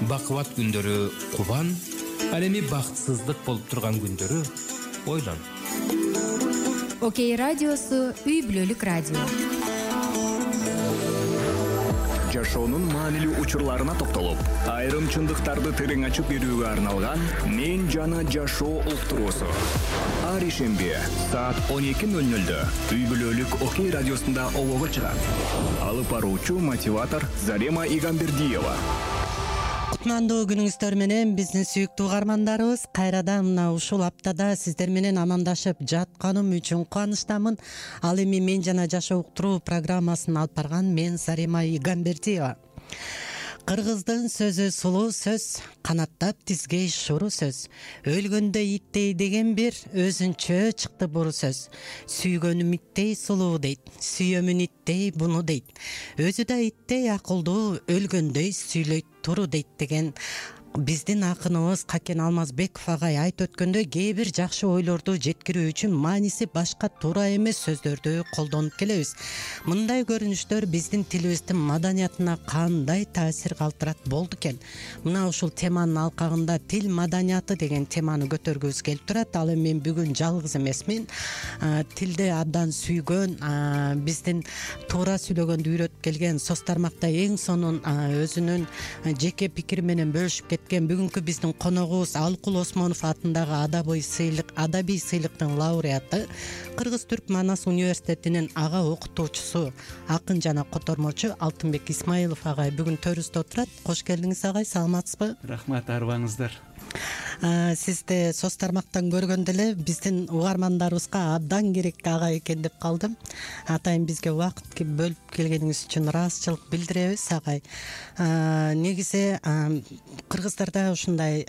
бакубат күндөрү кубан, ал эми бактысыздык болуп турган күндөрү ойлон. Окей радиосу үй бүлөлүк радио. Жашоонун маанилүү учурларына токтолуп, айрым чындыктарды терең ачып берүүгө арналган «Мен жана жашоо» уктуруусу. Ар ишемби саат 12:00 үй бүлөлүк Окей радиосунда олого чыгат. Алып баруучу мотиватор Зарема Игамбердиева. Кутмандуу күнүңүздөр менен биздин сүйүктүү угармандарыбыз, кайрадан мына ушул аптада сиздер менен амандашып жатканым үчүн кубанычтамын. Ал эми «Мен жана жашоо» уктуруу программасын алып барган мен Зарема Игамбердиева. Кыргыздын сөзү сулуу сөз, канаттап тизгей шуру сөз. Өлгөндө иттей деген бир өзүнчө чыкты буру сөз. Сүйгөнүм иттей сулуу дейт, сүйөмүн иттей буну дейт. Өзү да иттей акылдуу, өлгөндөй сүйлөйт туру дейт деген биздин акыныбыз Какен Алмазбеков агай айтып өткөндөй, кээ бир жакшы ойлорду жеткирүү үчүн мааниси башка туура эмес сөздөрдү колдонуп келебиз. Мындай көрүнүштөр биздин тилибиздин маданиятына кандай таасир калтырат болду экен? Мына ушул теманын алкагында тил маданияты деген теманы көтөргүбүз келип турат. Ал эми мен бүгүн жалгыз эмесмин. Тилди абдан сүйгөн, биздин туура сүйлөгөндү үйрөтүп келген, соц тармакта эң сонун өзүнүн жеке пикири менен бөлүшүп кеткен бүгүнкү биздин коногубуз Алкул Осмонов атындагы адабий сыйлыктын лауреаты, Кыргыз-Түрк Манас университетинин ага окутуучусу, акын жана котормочу Алтынбек Исмаилов агай бүгүн төрүбүздө отурат. Кош келдиңиз агай, саламатсызбы? Рахмат, арыбаңыздар. Сизди соц тармактан көргөндө эле биздин угармандарыбызга абдан керек агай экен деп калдым. Атайын бизге убакыт бөлүп келгениңиз үчүн ыраазычылык билдиребиз агай. Негизи кыргыздарда ушундай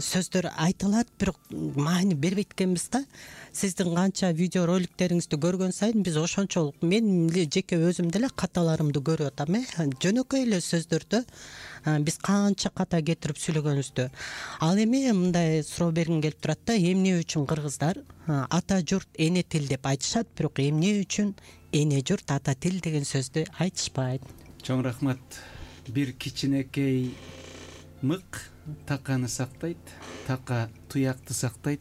сөздөр айтылат, бирок маани бербейт экенбиз да. Сиздин канча видео роликтериңизди көргөн сайын биз ошончолук, мен жеке өзүм деле каталарымды көрүп атам. Жөнөкөй эле сөздөрдө биз канча ката кетирип сүйлөгөнүбүздү. Ал эми мындай суроо бергим келип турат да, эмне үчүн кыргыздар ата журт эне тил деп айтышат, бирок эмне үчүн эне журт ата тил деген сөздү айтышпайт? Чоң рахмат. Бир кичинекей мык таканы сактайт, така туякты сактайт,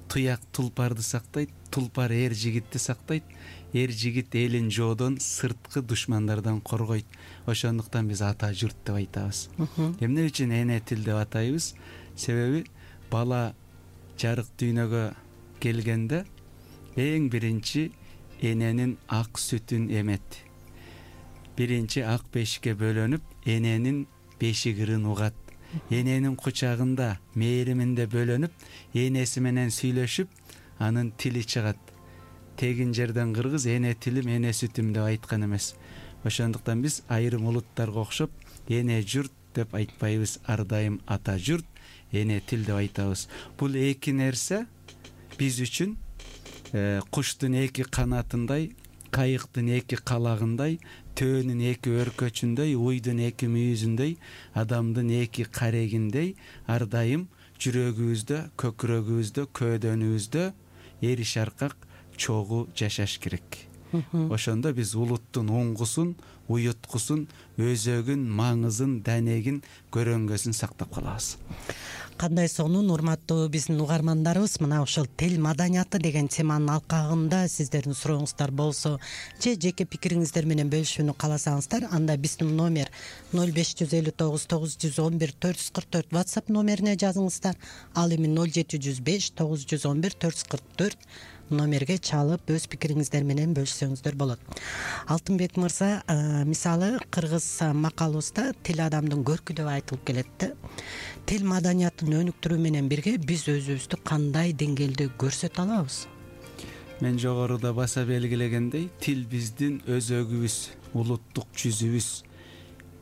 туяк тулпарды сактайт, тулпар эр жигитти сактайт, эр жигит элин жоодон, сырткы душмандардан коргойт. Ошондуктан биз ата журт деп айтабыз. Эмне үчүн эне тил деп атайбыз? Себеби бала жарык дүйнөгө келгенде эң биринчи эненин ак сүтүн эмет. Биринчи ак бешикке бөлөнүп, эненин бешик ырын угат. Эненин кучагында мээриминде бөлөнүп, энеси менен сүйлөшүп, анын тили чыгат. Тегин жерден кыргыз эне тилим, эне сүтүм деп айткан эмес. Ошондуктан биз айрым улуттарга окшоп эне журт деп айтпайбыз, ар дайым ата журт, эне тил деп айтабыз. Бул эки нерсе биз үчүн куштун эки канатындай, кайыктын эки калагындай, төөнүн эки өркөчүндөй, уйдун эки мүйүзүндөй, адамдын эки карегиндей ар дайым жүрөгүбүздө, көкүрөгүбүздө, көөдөнүбүздө эриш аркак чогуу жашаш керек. Ошондо биз улуттун уңгусун, уюткусун, өзөгүн, маңызын, данегин, көрөңгөсүн сактап калабыз. Кандай сонун, урматтуу биздин угармандарыбыз, мына ушул тил маданияты деген теманын алкагында сиздердин сурооңуздар болсо же жеке пикириңиздер менен бөлүшүүнү кааласаңыздар, анда биздин номер 0559 911 444 WhatsApp номерине жазыңыздар. Ал эми 0705 911 444 номерге чалып өз пикириңиздер менен бөлүшсөңүздөр болот. Алтынбек мырза, мисалы кыргыз макалыбызда тил адамдын көркү деп айтылып келет да. Тил маданиятын өнүктүрүү менен бирге биз өзүбүздү кандай деңгээлде көрсөтө алабыз? Мен жогоруда баса белгилегендей, тил биздин өзөгүбүз, улуттук жүзүбүз.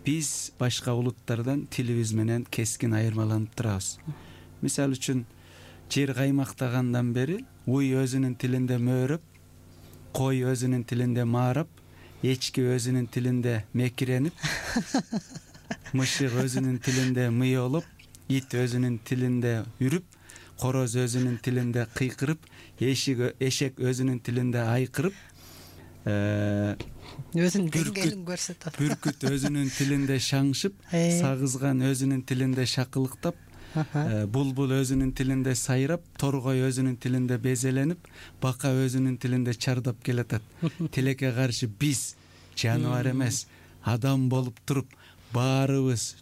Биз башка улуттардан тилибиз менен кескин айырмаланып турабыз. Мисалы үчүн, жер каймактагандан бери уй өзүнүн тилинде мөөрөп, кой өзүнүн тилинде маарап, эчки өзүнүн тилинде мекиренип, мышык өзүнүн тилинде мыйолоп, ит өзүнүн тилинде үрүп, короз өзүнүн тилинде кыйкырып, эшек өзүнүн тилинде айкырып, өзүнүн деңгээлин көрсөтөт. Бүркүт өзүнүн тилинде шаңшып, сагызган өзүнүн тилинде шакылыктап, булбул өзүнүн тилинде сайрап, торгой өзүнүн тилинде безеленип, бака өзүнүн тилинде чардап келатат. Тилекке каршы биз жаныбар эмес, адам болуп туруп, баарыбыз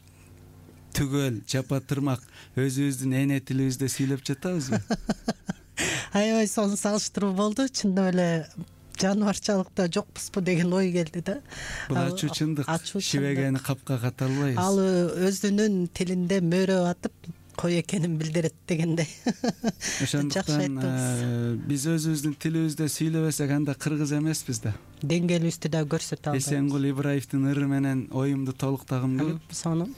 түгөл жапа тырмак өзүбүздүн эне тилибизде сүйлөп жатабызбы? Аябай сонун салыштыруу болду. Чындап эле жаныбарчылыкта жокпузбу деген ой келди да. Бул ачуу чындык. Шибегени капка ката албайбыз. Ал өзүнүн тилинде мөөрө атып кой экенин билдирет дегендей. Ошондуктан биз өзүбүздүн тилибизде сүйлөбөсөк анда кыргыз эмеспиз да. Деңгээлибизди да көрсөтө албайбыз. Эсенгул Ибраевдин ыры менен оюмду толуктагым келет. Сонун.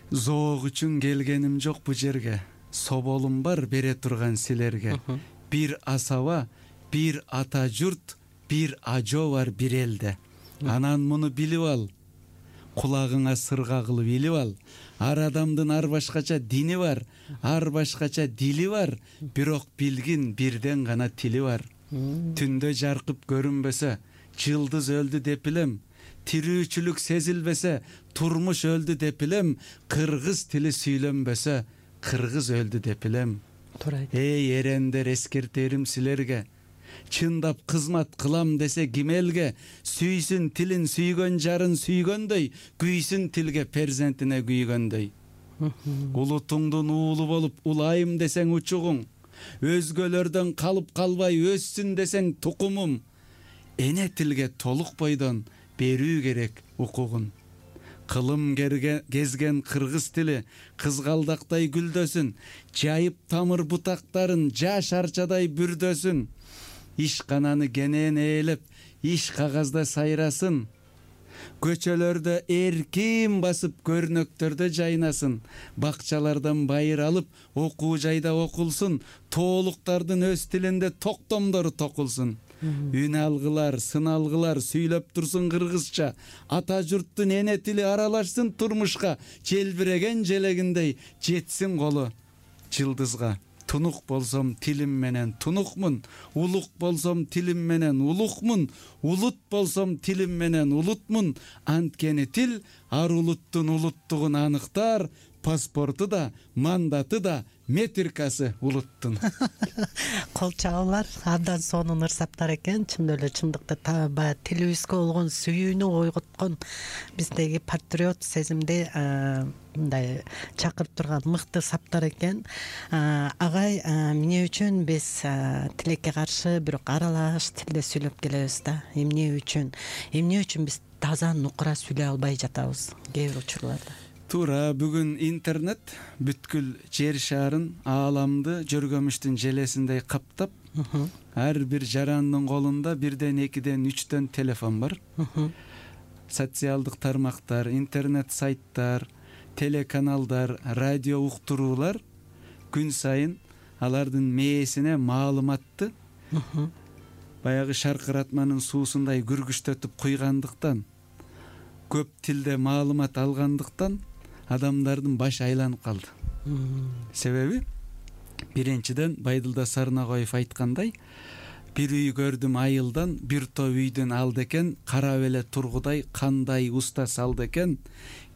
Зоок үчүн келгеним жок бу жерге. Соболум бар бере турган силерге. Бир асаба, бир ата журт, бир ажо бар бир элде. Анан муну билип ал. Кулагыңа сырга кылып илип ал. Ар адамдын ар башкача дини бар, ар башкача дили бар, бирок билгин бирден гана тили бар. Түндө жаркып көрүнбөсө, жылдыз өлдү деп билем. Тирүүчүлүк сезилбесе, турмуш өлдү деп билем. Кыргыз тили сүйлөнбөсө, кыргыз өлдү деп билем. Эй эрендер, эскертерим силерге. Чындап кызмат кылам десе ким элге, сүйсүн тилин сүйгөн жарын сүйгөндөй, күйсүн тилге перзентине күйгөндөй. Улутуңдун уулу болуп улайым десең учугуң, өзгөлөрдөн калып калбай өссүн десең тукумум. Эне тилге толук бойдон берүү керек укугун. Кылым кезген кыргыз тили кызгалдактай гүлдөсүн, жайып тамыр бутактарын жаш арчадай бүрдөсүн. Ишкананы кенен ээлеп, иш кагазда сайрасын. Көчөлөрдө эркин басып, көрнөктөрдө жайнасын. Бакчалардан байыр алып, окуу жайда окулсун. Тоолуктардын өз тилинде токтомдору токулсун. Үн алгылар, сын алгылар сүйлөп турсун кыргызча. Ата журттун эне тили аралашсын турмушка. Желбиреген желегиндей жетсин колу жылдызга. Тунук болсом тилим менен тунукмун, улук болсом тилим менен улукмун, улут болсом тилим менен улутмун. Анткени тил ар улуттун улуттугун аныктар, паспорту да, мандаты да, метрикасы улуттун. Кол чабуулар абдан сонун ырсаптар экен. Чындап эле чындыкта баягы тилибизге болгон сүйүүнү ойготкон биздеги патриот сезимди мындай чакырып турган мыкты саптар экен. Агай, эмне үчүн биз тилекке каршы бирок аралаш тилде сүйлөп келебиз да? Эмне үчүн биз таза нукура сүйлөй албай жатабыз кээ бир учурларда? Туура, бүгүн интернет бүткүл жер шарын, ааламды жөргөмүштүн желесиндей каптап, ар бир жарандын колунда 1ден 2ден 3дөн телефон бар. Социалдык тармактар, интернет сайттар, телеканалдар, радио уктуруулар күн сайын алардын мээсине маалыматты баягы шаркыратманын суусундай күргүчтөтүп куйгандыктан, көп тилде маалымат алгандыктан адамдардын башы айланып калды. Себеби биринчиден Байдылда Сарнагоев айткандай, бир үй көрдүм айылдан, бир топ үйдүн алды экен, карап эле тургудай кандай уста салды экен.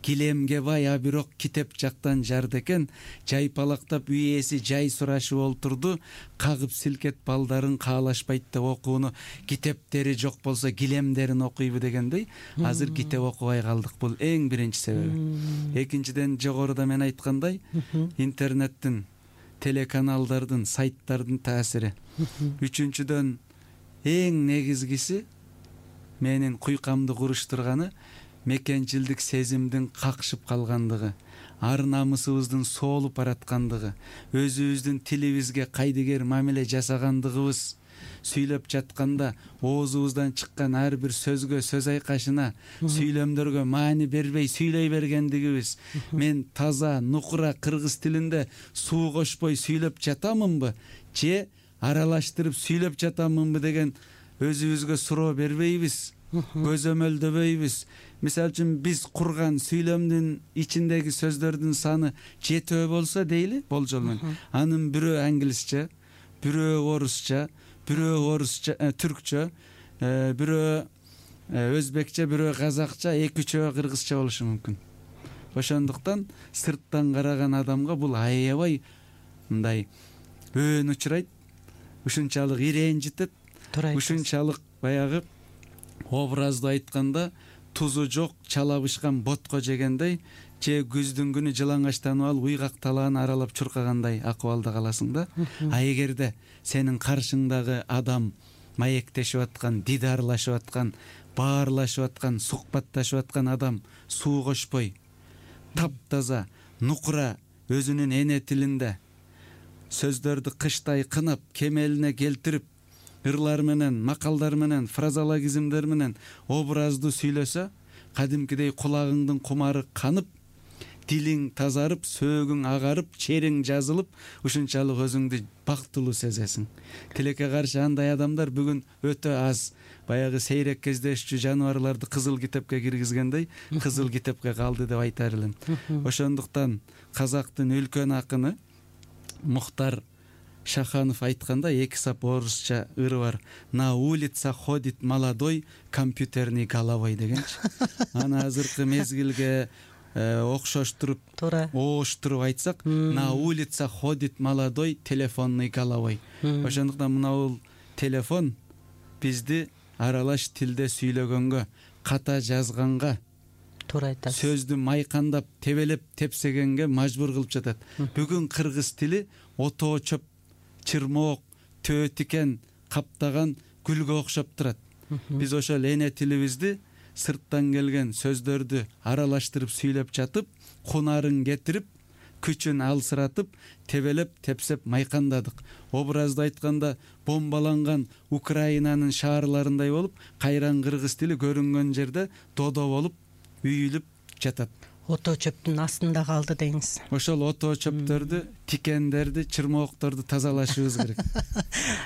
Килемге бай, а бирок китеп жактан жарды экен. Жайпалактап үй ээси жай сурашып олтурду. Кагып силкет балдарын каалашпайт деп окууну. Китептери жок болсо килемдерин окуйбу дегендей. Азыр китеп окубай калдык. Бул эң биринчи себеби. Экинчиден, жогоруда мен айткандай, интернеттин, телеканалдардын, сайттардын таасири. Үчүнчүдөн, эң негизгиси менин куйкамды куруштурганы мекенчилдик сезимдин какшып калгандыгы, ар намысыбыздын соолуп бараткандыгы, өзүбүздүн тилибизге кайдыгер мамиле жасагандыгыбыз, сүйлөп жатканда оозубуздан чыккан ар бир сөзгө, сөз айкашына, сүйлөмдөргө маани бербей сүйлөй бергендигибиз. Мен таза, нукура кыргыз тилинде суу кошпой сүйлөп жатамынбы, же аралаштырып сүйлөп жатамынбы деген өзүбүзгө суроо бербейбиз, көзөмөлдөбөйбүз. Мисалы үчүн биз курган сүйлөмдүн ичиндеги сөздөрдүн саны 7 болсо дейли, болжол менен. Анын бирөө англисче, бирөө орусча, бирөө түркчө, бирөө өзбекче, бирөө казакча, 2-3 кыргызча болушу мүмкүн. Ошондуктан сырттан караган адамга бул аябай мындай өөн учурайт, ушунчалык ирэнжитет, ушунчалык баягы образды айтканда тузу жок чала бышкан ботко жегендей же күздүн күнү жылаңачтанып алып уйгак талааны аралап чуркагандай акыбалда каласың да. А эгерде сенин каршыңдагы адам маектешип аткан, дидарлашып аткан, баарлашып аткан, сухбатташып аткан адам суу кошпой, таптаза, нукура өзүнүн эне тилинде сөздөрдү кыштай кынап, кемелине келтирип, ырлар менен, макалдар менен, фразологизмдер менен образды сүйлөсө, кадимкидей кулагыңдын кумары канып, дилиң тазарып, сөөгүң агарып, чериң жазылып, ушунчалык өзүңдү бактылуу сезесиң. Тилекке каршы андай адамдар бүгүн өтө аз. Баягы сейрек кездешчү жаныбарларды кызыл китепке киргизгендей, кызыл китепке калды деп айтар элем. Ошондуктан казактын үлкөн акыны Мухтар Шаханов айтканда 2 сап орусча ыры бар. На улица ходит молодой компьютерный головой дегенчи. Аны азыркы мезгилге окшоштуруп, ооштуруп айтсак, на улица ходит молодой телефонный головой. Ошондуктан мына бул телефон бизди аралаш тилде сүйлөгөнгө, ката жазганга, сөздү майкандап, тебелеп, тепсегенге мажбур кылып жатат. Бүгүн кыргыз тили отоо чөп, чырмоок, төө тикен каптаган гүлгө окшоп турат. Биз ошол эне тилибизди сырттан келген сөздөрдү аралаштырып сүйлөп жатып, кунарын кетирип, күчүн алсыратып, тебелеп, тепсеп майкандадык. Образды айтканда бомбаланган Украинанын шаарларындай болуп, кайран кыргыз тили көрүнгөн жерде додо болуп, үйүлүп жатат. Отоо чөптүн астында калды дейсиз. Ошол отоо чөптөрдү, тикендерди, чырмоокторду тазалашыбыз керек.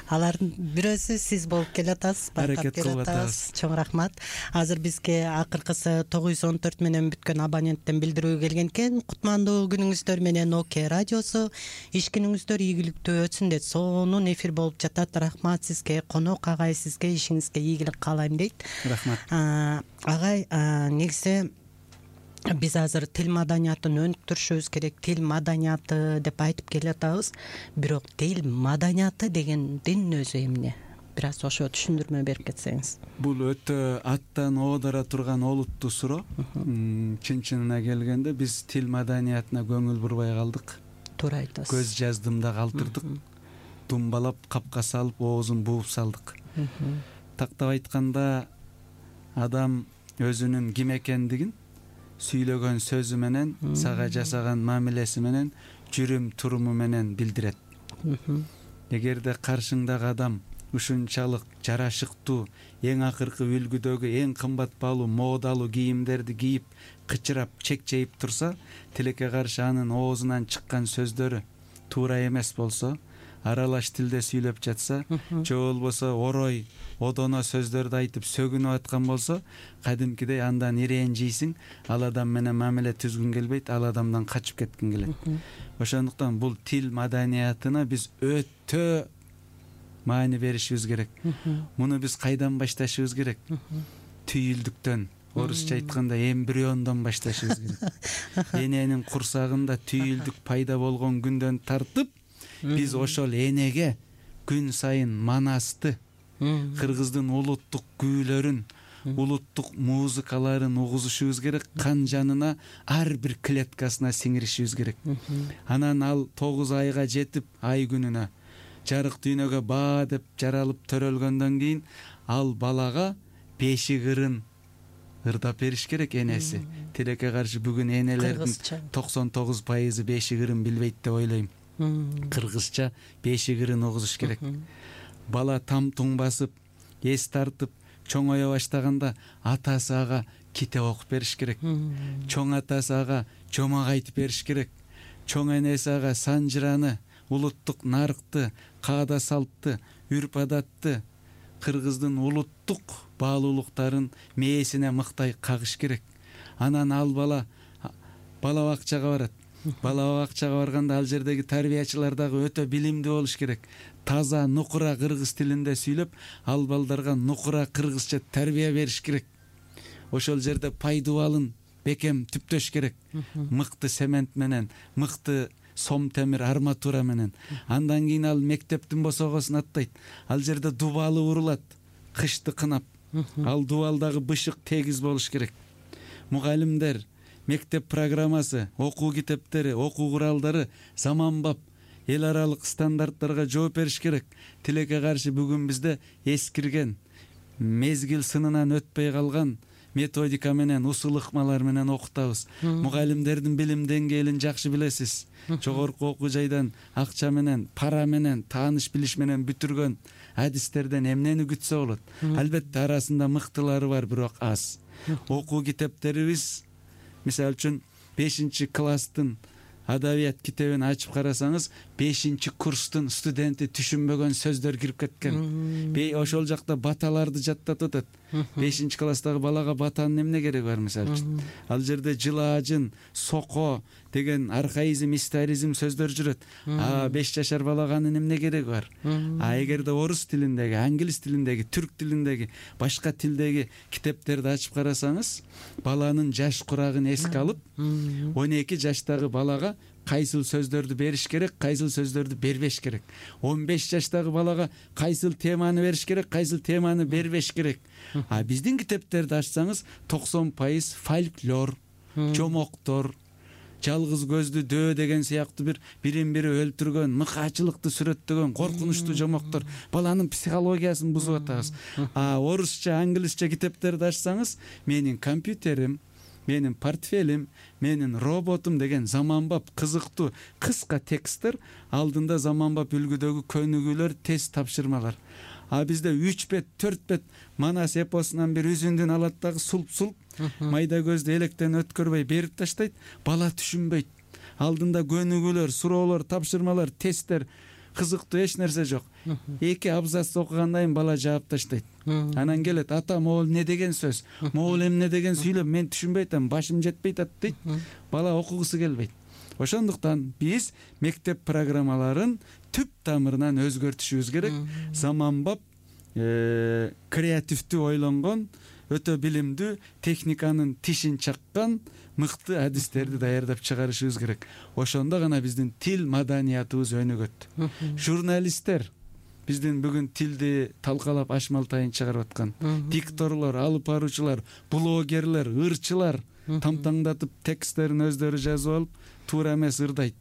Алардын бирөөсү сиз болуп келатасыз, аракет кылып атабыз. Чоң рахмат. Азыр бизге акыркысы 914 менен бүткөн абоненттен билдирүү келген экен. Кутмандуу күнүңүздөр менен ОК радиосу. Иш күнүңүздөр ийгиликтүү өтсүн деп сонун эфир болуп жатат. Рахмат сизге, конок агай, сизге ишиңизге ийгилик каалайм дейт. Рахмат. Агай, негизи биз азыр тил маданиятын өнүктүрүшүбүз керек. Тил маданияты деп айтып келатабыз. Бирок тил маданияты дегендин өзү эмне? Бир аз ошо түшүндүрмө берип кетсеңиз. Бул өтө аттан оодара турган олуттуу суроо. Чын-чынына келгенде биз тил маданиятына көңүл бурбай калдык. Туура айтасыз. Көз жаздымда калтырдык. Думбалап, капка салып, оозун бууп салдык. Тактап айтканда, адам өзүнүн ким экендигин сүйлөгөн сөзү менен, сага жасаган мамилеси менен, жүрүм туруму менен билдирет. Эгерде каршыңдагы адам ушунчалык жарашыктуу, эң акыркы үлгүдөгү эң кымбат баалуу модалуу кийимдерди кийип, кычырап, чекчейип турса, тилекке каршы анын оозунан чыккан сөздөрү туура эмес болсо, аралаш тилде сүйлөп жатса, же болбосо орой, одоно сөздөрдү айтып сөгүнүп аткан болсо, кадимкидей андан ирэнжийсиң, ал адам менен мамиле түзгүң келбейт, ал адамдан качып кеткиң келет. Ошондуктан бул тил маданиятына биз өтө маани беришибиз керек. Муну биз кайдан башташыбыз керек? Түйүлдүктөн, орусча айтканда эмбриондон башташыбыз керек. Эненин курсагында түйүлдүк пайда болгон күндөн тартып, биз ошол энеге күн сайын манасты, кыргыздын улуттук күүлөрүн, улуттук музыкаларын угузушубуз керек, кан жанына ар бир клеткасына сиңиришибиз керек. Анан ал 9 айга жетип, ай күнүнө жарык дүйнөгө баа деп жаралып төрөлгөндөн кийин ал балага бешик ырын ырдап бериш керек энеси. Тилекке каршы бүгүн энелердин 99% бешик ырын билбейт деп ойлойм. Кыргызча бешик ырын угузуш керек. Бала там-туң басып, эс тартып, чоңое баштаганда атасы ага китеп окуп бериш керек. Чоң атасы ага жомок айтып бериш керек. Чоң энеси ага санжыраны, улуттук нарыкты, каада салтты, үрп адатты, кыргыздын улуттук баалуулуктарын мээсине мыктай кагыш керек. Анан ал бала бакчага барат. бала бакчага барганда ал жердеги тарбиячылар дагы өтө билимдүү болуш керек. Таза нукура кыргыз тилинде сүйлөп, ал балдарга нукура кыргызча тарбия бериш керек. Ошол жерде пайдубалын бекем түптөш керек. Мыкты цемент менен, мыкты сом темир арматура менен. Андан кийин ал мектептин босогосун аттайт. Ал жерде дубалы урулат, кышты кынап. Ал дубалдагы бышык тегиз болуш керек. Мугалимдер, мектеп программасы, окуу китептери, окуу куралдары заманбап эл аралык стандарттарга жооп бериш керек. Тилекке каршы бүгүн бизде эскирген, мезгил сынынан өтпөй калган методика менен, усул ыкмалар менен окутабыз. Мугалимдердин билим деңгээлин жакшы билесиз. Жогорку окуу жайдан акча менен, пара менен, тааныш билиш менен бүтүргөн адистерден эмнени күтсө болот? Албетте арасында мыктылары бар, бирок аз. Окуу китептерибиз, мисалы үчүн 5-класстын адабият китебин ачып карасаңыз, 5-курстун студенти түшүнбөгөн сөздөр кирип кеткен. Ошол жакта баталарды жаттатып атат. 5-класстагы балага батанын эмне кереги бар, мисалы үчүн? Ал жерде жылаажын, соко деген архаизм, историзм сөздөр жүрөт. 5 жашар балага анын эмне кереги бар? Эгерде орус тилиндеги, англис тилиндеги, түрк тилиндеги, башка тилдеги китептерди ачып карасаңыз, баланын жаш курагын эске алып, 12 жаштагы балага кайсыл сөздөрдү бериш керек, кайсыл сөздөрдү бербеш керек. 15 жаштагы балага кайсыл теманы бериш керек, кайсыл теманы бербеш керек. Биздин китептерди ачсаңыз 90% фольклор, жомоктор, жалгыз көздү дөө деген сыяктуу бирин бири өлтүргөн, мыкаачылыкты сүрөттөгөн коркунучтуу жомоктор. Баланын психологиясын бузуп атабыз. Орусча, англисче китептерди ачсаңыз, менин компьютерим, менин портфелим, менин роботум деген заманбап, кызыктуу, кыска тексттер, алдында заманбап үлгүдөгү көнүгүүлөр, тест тапшырмалар. Бизде 3 бет, 4 бет Манас эпосунан бир үзүндүн алат дагы сулп-сулп, майда көздү электен өткөрбөй берип таштайт, бала түшүнбөйт. Алдында көнүгүүлөр, суроолор, тапшырмалар, тесттер, кызыктуу эч нерсе жок. 2 абзац окугандан кийин бала жаап таштайт. Анан келет, ата, могул эмне деген сөз? Могул эмне деген сүйлөп, мен түшүнбөй атам, башым жетпейт атат дейт. Бала окугусу келбейт. Ошондуктан биз мектеп программаларын түп тамырынан өзгөртүшүбүз керек. Заманбап, креативдүү ойлонгон, өтө билимдүү, техниканын тишин чаккан мыкты адистерди даярдап чыгарышыбыз керек. Ошондо гана биздин тил маданиятыбыз өнүгөт. Журналисттер биздин бүгүн тилди талкалап ашмалтайын чыгарып аткан. Дикторлор, алып баруучулар, блогерлер, ырчылар тамтаңдатып тексттерин өздөрү жазып алып, туура эмес ырдайт.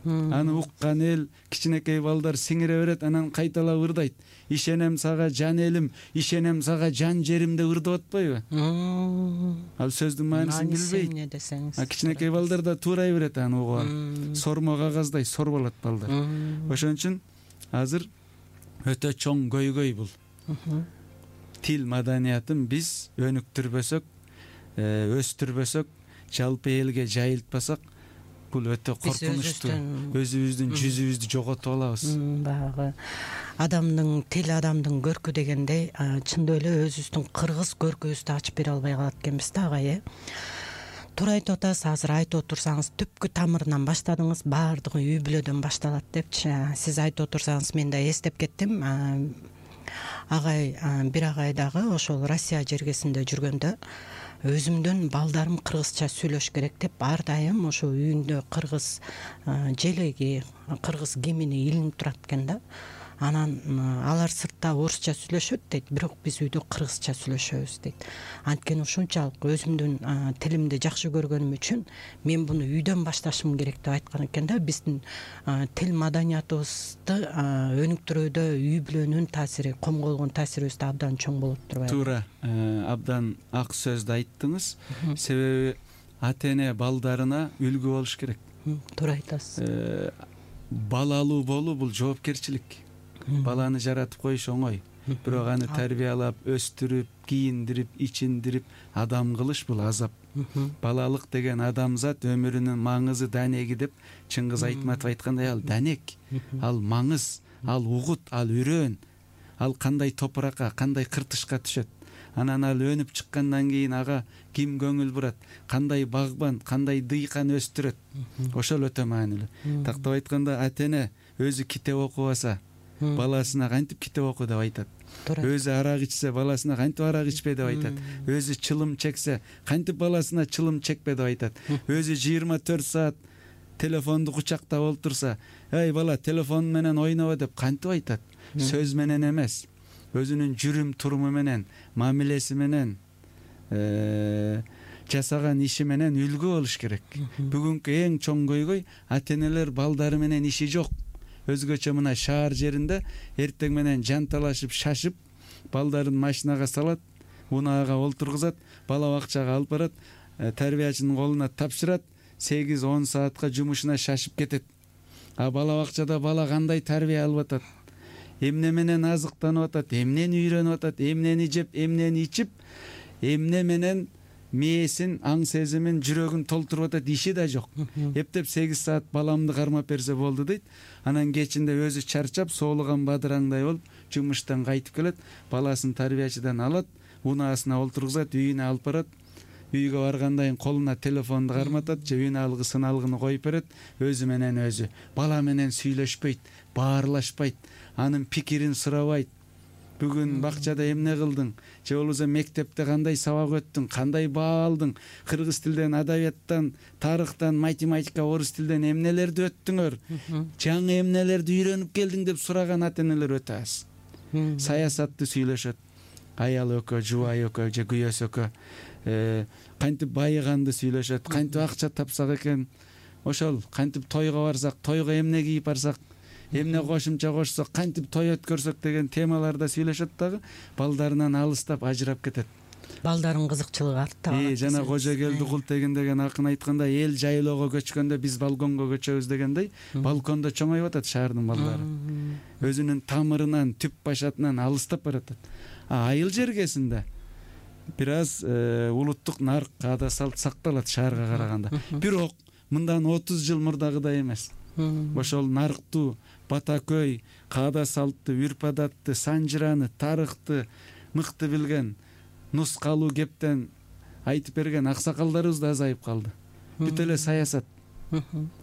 Аны уккан эл, кичинекей балдар сиңире берет, анан кайталап ырдайт. Ишенем сага жан элим, ишенем сага жан жерим деп ырдап атпайбы? Ал сөздүн маанисын билбейт. Кичинекей балдар да туурай берет аны угуп алып. Сормо кагаздай сорболот балдар. Ошон үчүн азыр өтө чоң көйгөй бул. Тил маданиятын биз өнүктүрбөсөк, өстүрбөсөк, жалпы элге жайылтпасак, бул өтө коркунучтуу. Өзүбүздүн жүзүбүздү жоготуп алабыз. Багы адамдын тил адамдын көркү дегендей, чындап эле өзүбүздүн кыргыз көркүбүздү ачып бере албай калат экенбиз да, агай. Туура айтып атасыз, азыр айтып отурсаңыз түпкү тамырынан баштадыңыз, баардыгы үй бүлөдөн башталат депчи. Сиз айтып отурсаңыз мен да эстеп кеттим. Агай, бир агай дагы ошол Россия жергесинде жүргөндө өзүмдүн балдарым кыргызча сүйлөш керек деп ар дайым ошо үйүндө кыргыз желеги, кыргыз гимини илинип турат экен да. Анан алар сыртта орусча сүйлөшөт дейт, бирок биз үйдө кыргызча сүйлөшөбүз дейт. Анткени ушунчалык өзүмдүн тилимди жакшы көргөнүм үчүн мен буну үйдөн башташым керек деп айткан экен да. Биздин тил маданиятыбызды өнүктүрүүдө үй бүлөнүн таасири, комголгон таасирибиз абдан чоң болот турбайбы? Туура, абдан ак сөздү айттыңыз. Себеби ата-эне балдарына үлгү болуш керек. Туура айтасыз. Балалуу болуу бул жоопкерчилик. Баланы жаратып коюш оңой, бирок аны тарбиялап, өстүрүп, кийиндирип, ичиндирип, адам кылыш бул азап. Балалык деген адамзат өмүрүнүн маңызы, данеги деп Чыңгыз Айтматов айткандай, ал данек, ал маңыз, ал угут, ал үрөөн, ал кандай топуракка, кандай кыртышка түшөт. анан ал өнүп чыккандан кийин ага ким көңүл бурат, кандай багбан, кандай дыйкан өстүрөт, ошол өтө маанилүү. Тактап айтканда ата эне өзү китеп окубаса баласына кантип китеп оку деп айтат, өзү арак ичсе баласына кантип арак ичпе деп айтат, өзү чылым чексе кантип баласына чылым чекпе деп айтат, өзү 24 саат телефонду кучактап олтурса, эй бала телефон менен ойноба деп кантип айтат, сөз менен эмес, өзүнүн жүрүм туруму менен, мамилеси менен, жасаган иши менен үлгү болуш керек. Бүгүнкү эң чоң көйгөй ата энелер балдары менен иши жок. Өзгөчө мына шаар жеринде эртең менен жанталашып, шашып, балдарын машинага салат, унаага олтургузат, бала бакчага алып барат, тарбиячынын колуна тапшырат, 8-10 саатка жумушуна шашып кетет. А бала бакчада бала кандай тарбия алып атат, эмне менен азыктанып атат, эмнени үйрөнүп атат, эмнени жеп, эмнени ичип, эмне менен мээсин, аң сезимин, жүрөгүн толтуруп атат, иши да жок. Эптеп 8 саат баламды кармап берсе болду дейт. Анан кечинде өзү чарчап, соолуган бадыраңдай болуп, жумуштан кайтып келет, баласын тарбиячыдан алат, унаасына олтургузат, үйүнө алып барат. Үйгө баргандан кийин колуна телефонду карматат, же үн алгы, сыналгыны коюп берет, өзү менен өзү. Бала менен сүйлөшпөйт, баарлашпайт, анын пикирин сурабайт. Бүгүн бакчада эмне кылдың, же болбосо мектепте кандай сабак өттүң, кандай баа алдың, кыргыз тилден, адабияттан, тарыхтан, математика, орус тилден эмнелерди өттүңөр, жаңы эмнелерди үйрөнүп келдиң деп сураган ата энелер өтө аз. Саясатты сүйлөшөт, аял өкө, жубай өкө, же күйөөс өкө, кантип байыганды сүйлөшөт, кантип акча тапсак экен, ошол кантип тойго барсак, тойго эмне кийип барсак, эмне кошумча кошсок, кантип той өткөрсөк деген темаларда сүйлөшөт дагы, балдарынан алыстап ажырап кетет. Балдардын кызыкчылыгы артта. Жана кожо келди кул тегин деген акын айтканда, эл жайлоого көчкөндө биз балконго көчөбүз дегендей, балкондо чоңоюп атат шаардын балдары. Өзүнүн тамырынан, түп башатынан алыстап баратат. Айыл жергесинде бир аз улуттук нарк, ада салт сакталат шаарга караганда. Бирок мындан 30 жыл мурдагыдай эмес. Ошол нарктуу, бата көй, каада салтты, үрп адатты, санжыраны, тарыхты мыкты билген, нускалуу кептен айтып берген аксакалдарыбыз да азайып калды. Бүт эле саясат.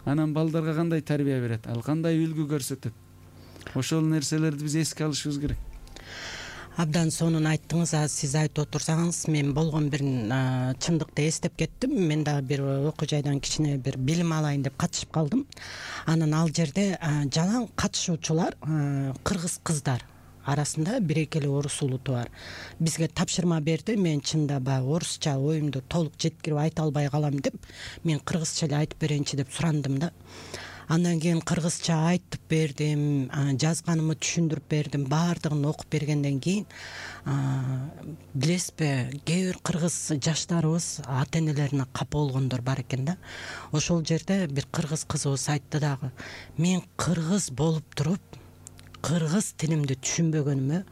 Анан балдарга кандай тарбия берет, ал кандай үлгү көрсөтөт. Ошол нерселерди биз эске алышыбыз керек. Абдан сонун айттыңыз. Сиз айтып отурсаңыз, мен болгон бир чындыкты эстеп кеттим. Мен дагы бир окуу жайдан кичине бир билим алайын деп катышып калдым. Анан ал жерде жалаң катышуучулар кыргыз кыздар арасында бир экели орус улуту бар. Бизге тапшырма берди. Мен чында баягы орусча оюмду толук жеткирип айта албай калам деп, мен кыргызча эле айтып берейинчи деп сурандым да. Андан кийин кыргызча айтып бердим, жазганымы түшүндүрүп бердим, баардыгын окуп бергенден кийин билесизби, кээ бир кыргыз жаштарыбыз ата энелерине капа болгондор бар экен да. Ошол жерде бир кыргыз кызыбыз айтты дагы, мен кыргыз болуп туруп кыргыз тилимди түшүнбөгөнүмө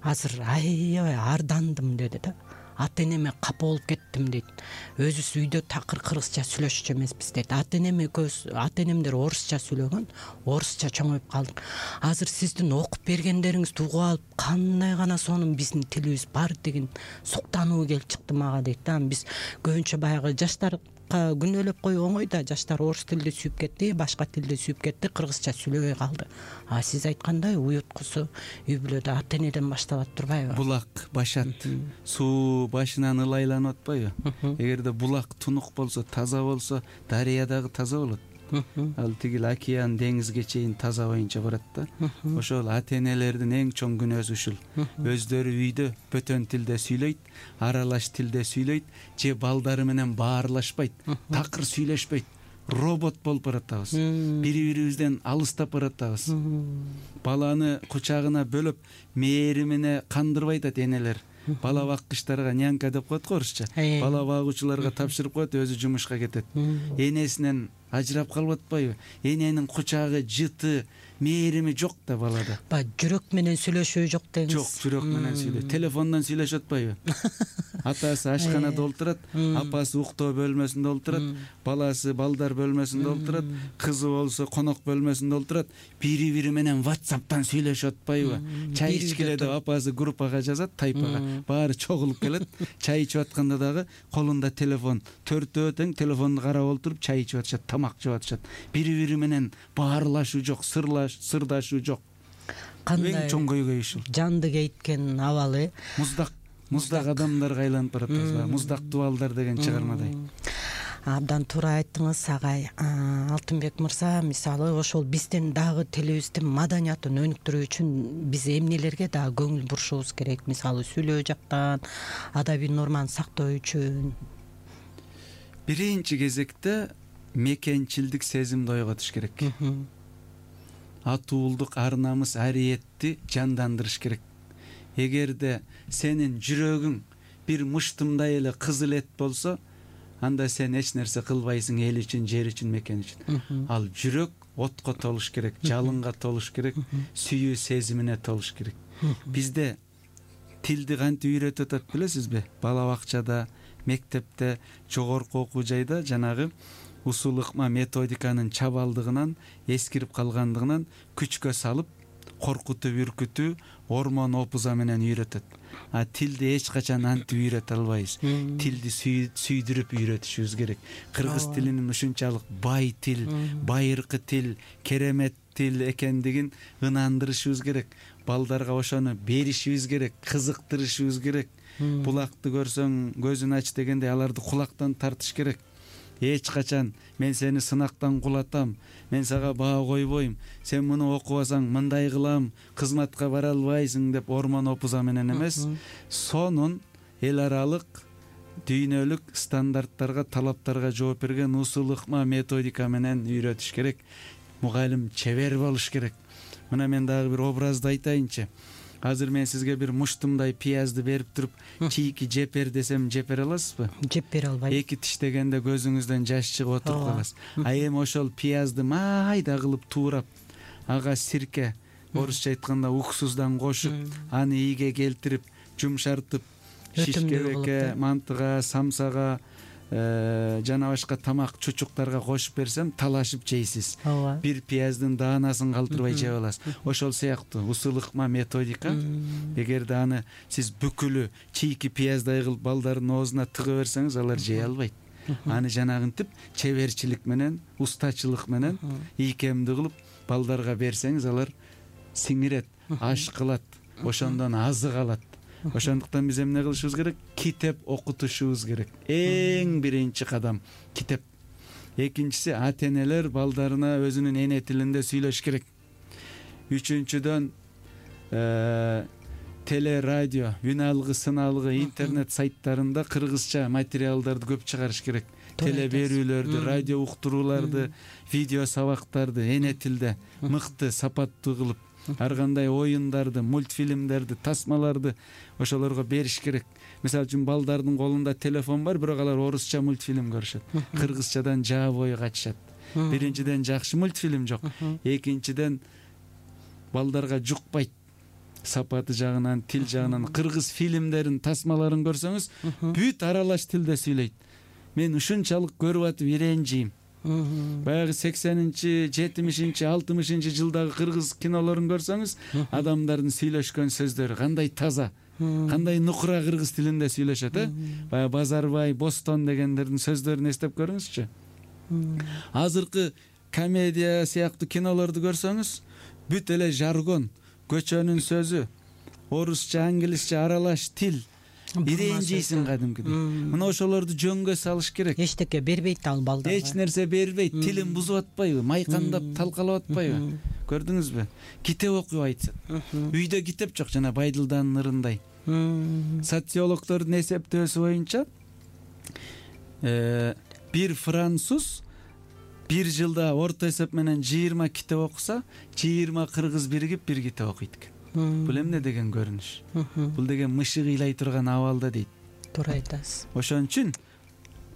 азыр аябай ардандым деди да. Ата энеме капа болуп кеттим дейт. Өзүбүз үйдө такыр кыргызча сүйлөшчү эмеспиз дейт. Ата энемдер орусча сүйлөгөн, орусча чоңоюп калдык. Азыр сиздин окуп бергендериңизди угуп алып, кандай гана сонун биздин тилибиз бар деген суктануу келип чыкты мага дейт да. Биз көбүнчө баягы жаштар күнөөлөп коюу оңой да, жаштар орус тилди сүйүп кетти, башка тилди сүйүп кетти, кыргызча сүйлөбөй калды. Сиз айткандай уюткусу үй бүлөдө ата энеден башталат турбайбы? Булак башат, суу башынан ылайланып атпайбы? Эгерде булак тунук болсо, таза болсо, дарыя дагы таза болот. Ал тигил океан, деңизге чейин таза боюнча барат да. Ошол ата энелердин эң чоң күнөөсү ушул. Өздөрү үйдө бөтөн тилде сүйлөйт, аралаш тилде сүйлөйт, же балдары менен баарлашпайт, такыр сүйлөшпөйт. Робот болуп баратабыз. Бири-бирибизден алыстап баратабыз. Баланы кучагына бөлөп, мээримине кандырбай атат энелер. Бала баккычтарга нянька деп коет го орусча. Бала багуучуларга тапшырып коет, өзү жумушка кетет. Энесинен ажырап калып атпайбы? Эненин кучагы, жыты, мээрими жок да балада. Баягы жүрөк менен сүйлөшүү жок деңиз. Жок, жүрөк менен сүйлөйт. Телефондон сүйлөшүп атпайбы? Атасы ашканада олтурат, апасы уктоо бөлмөсүндө олтурат, баласы балдар бөлмөсүндө олтурат, кызы болсо конок бөлмөсүндө олтурат, бири-бири менен WhatsApp'тан сүйлөшүп атпайбы? Чай ичкиле деп апасы группага жазат, тайпага. Баары чогулуп келет. Чай ичип атканда дагы колунда телефон, төртөө тең телефонду карап олтуруп чай ичип атышат, тамак жеп атышат. Бири-бири менен баарлашуу жок, сырдашуу жок. Кандай эң чоң көйгөй ушул. жанды кейткен абалы. Муздак адамдарга айланып баратпыз. Муздак дубалдар деген чыгармадай. Абдан туура айттыңыз агай. Алтынбек мырза, мисалы ошол биздин дагы тилибиздин маданиятын өнүктүрүү үчүн биз эмнелерге дагы көңүл бурушубуз керек? Мисалы сүйлөө жактан, адабий норманы сактоо үчүн. Биринчи кезекте мекенчилдик сезимди ойготуш керек. Атуулдук, ар намыс, ариетти жандандырыш керек. Эгерде сенин жүрөгүң бир мыштымдай эле кызыл эт болсо, анда сен эч нерсе кылбайсың эл үчүн, жер үчүн, мекен үчүн. Ал жүрөк отко толуш керек, жалынга толуш керек, сүйүү сезимине толуш керек. Бизде тилди кантип үйрөтүп атат билесизби? Бала бакчада, мектепте, жогорку окуу жайда жанагы усул ыкма методиканын чабалдыгынан, эскирип калгандыгынан күчкө салып, коркутуп, үркүтүү, ормон опуза менен үйрөтөт. Тилди эч качан антип үйрөтө албайбыз. Тилди сүйдүрүп үйрөтүшүбүз керек. Кыргыз тилинин ушунчалык бай тил, байыркы тил, керемет тил экендигин ынандырышыбыз керек. Балдарга ошону беришибиз керек, кызыктырышыбыз керек. Булакты көрсөң көзүн ач дегендей аларды кулактан тартыш керек. Эч качан мен сени сынактан кулатам, мен сага баа койбойм, сен муну окубасаң мындай кылам, кызматка бара албайсың деп ормон опуза менен эмес, сонун эл аралык дүйнөлүк стандарттарга, талаптарга жооп берген усул ыкма методика менен үйрөтүш керек. Мугалим чебер болуш керек. Мына мен дагы бир образды айтайынчы. Азыр мен сизге бир муштумдай пиязды берип туруп, чийки жеп бер десем, жеп бере аласызбы? Жеп бере албайм. Эки тиштегенде көзүңүздөн жаш чыгып отуруп каласыз. Эми ошол пиязды майда кылып туурап, ага сирке, орусча айтканда уксуздан кошуп, аны ийге келтирип, жумшартып, шишкебекке, мантыга, самсага, жана башка тамак чучуктарга кошуп берсем, талашып жейсиз. Бир пияздын даанасын калтырбай жеп аласыз. Ошол сыяктуу усул ыкма методика. Эгерде аны сиз бүкүлү чийки пияздай кылып балдардын оозуна тыгып берсеңиз, алар жей албайт. Аны жанагынтип чеберчилик менен, устачылык менен ийкемдүү кылып балдарга берсеңиз, алар сиңирет, аш кылат, ошондон азык алат. Ошондуктан биз эмне кылышыбыз керек? Китеп окутушубуз керек. Эң биринчи кадам китеп. Экинчиси, ата-энелер балдарына өзүнүн эне тилинде сүйлөш керек. Үчүнчүдөн теле, радио, үн алгы, сын алгы, интернет сайттарында кыргызча материалдарды көп чыгарыш керек. Теле берүүлөрдү, радио уктурууларды, видео сабактарды эне тилде мыкты, сапаттуу кылып, ар кандай оюндарды, мультфильмдерди, тасмаларды ошолорго бериш керек. Мисалы үчүн балдардын колунда телефон бар, бирок алар орусча мультфильм көрүшөт. Кыргызчадан жаа бою качышат. Биринчиден жакшы мультфильм жок. Экинчиден балдарга жукпайт. Сапаты жагынан, тил жагынан. Кыргыз фильмдерин, тасмаларын көрсөңүз, бүт аралаш тилде сүйлөйт. Мен ушунчалык көрүп атып иренжийм. Баягы 80-нчи, 70-нчи, 60-нчы жылдагы кыргыз кинолорун көрсөңүз, адамдардын сүйлөшкөн сөздөрү кандай таза, кандай нукура кыргыз тилинде сүйлөшөт, Баягы Базарбай, Бостон дегендердин сөздөрүн эстеп көрүңүзчү. Азыркы комедия сыяктуу кинолорду көрсөңүз, бүт эле жаргон, көчөнүн сөзү, орусча, англисче аралаш тил. Иренжейсиң кадимкидей. Мына ошолорду жөнгө салыш керек. Эчтеке бербейт ал балдарга. Эч нерсе бербейт, тилин бузуп атпайбы, майкандап, талкалап атпайбы? Көрдүңүзбү? Китеп окуп айтсат. Үйдө китеп жок, жана Байдылданын ырындай. Социологдордун эсептөөсү боюнча бир француз бир жылда орто эсеп менен 20 китеп окуса, 20 кыргыз биригип бир китеп окуйт экен. Бул эмне деген көрүнүш? Бул деген мышык ыйлай турган абалда дейт. Туура айтасыз. Ошон үчүн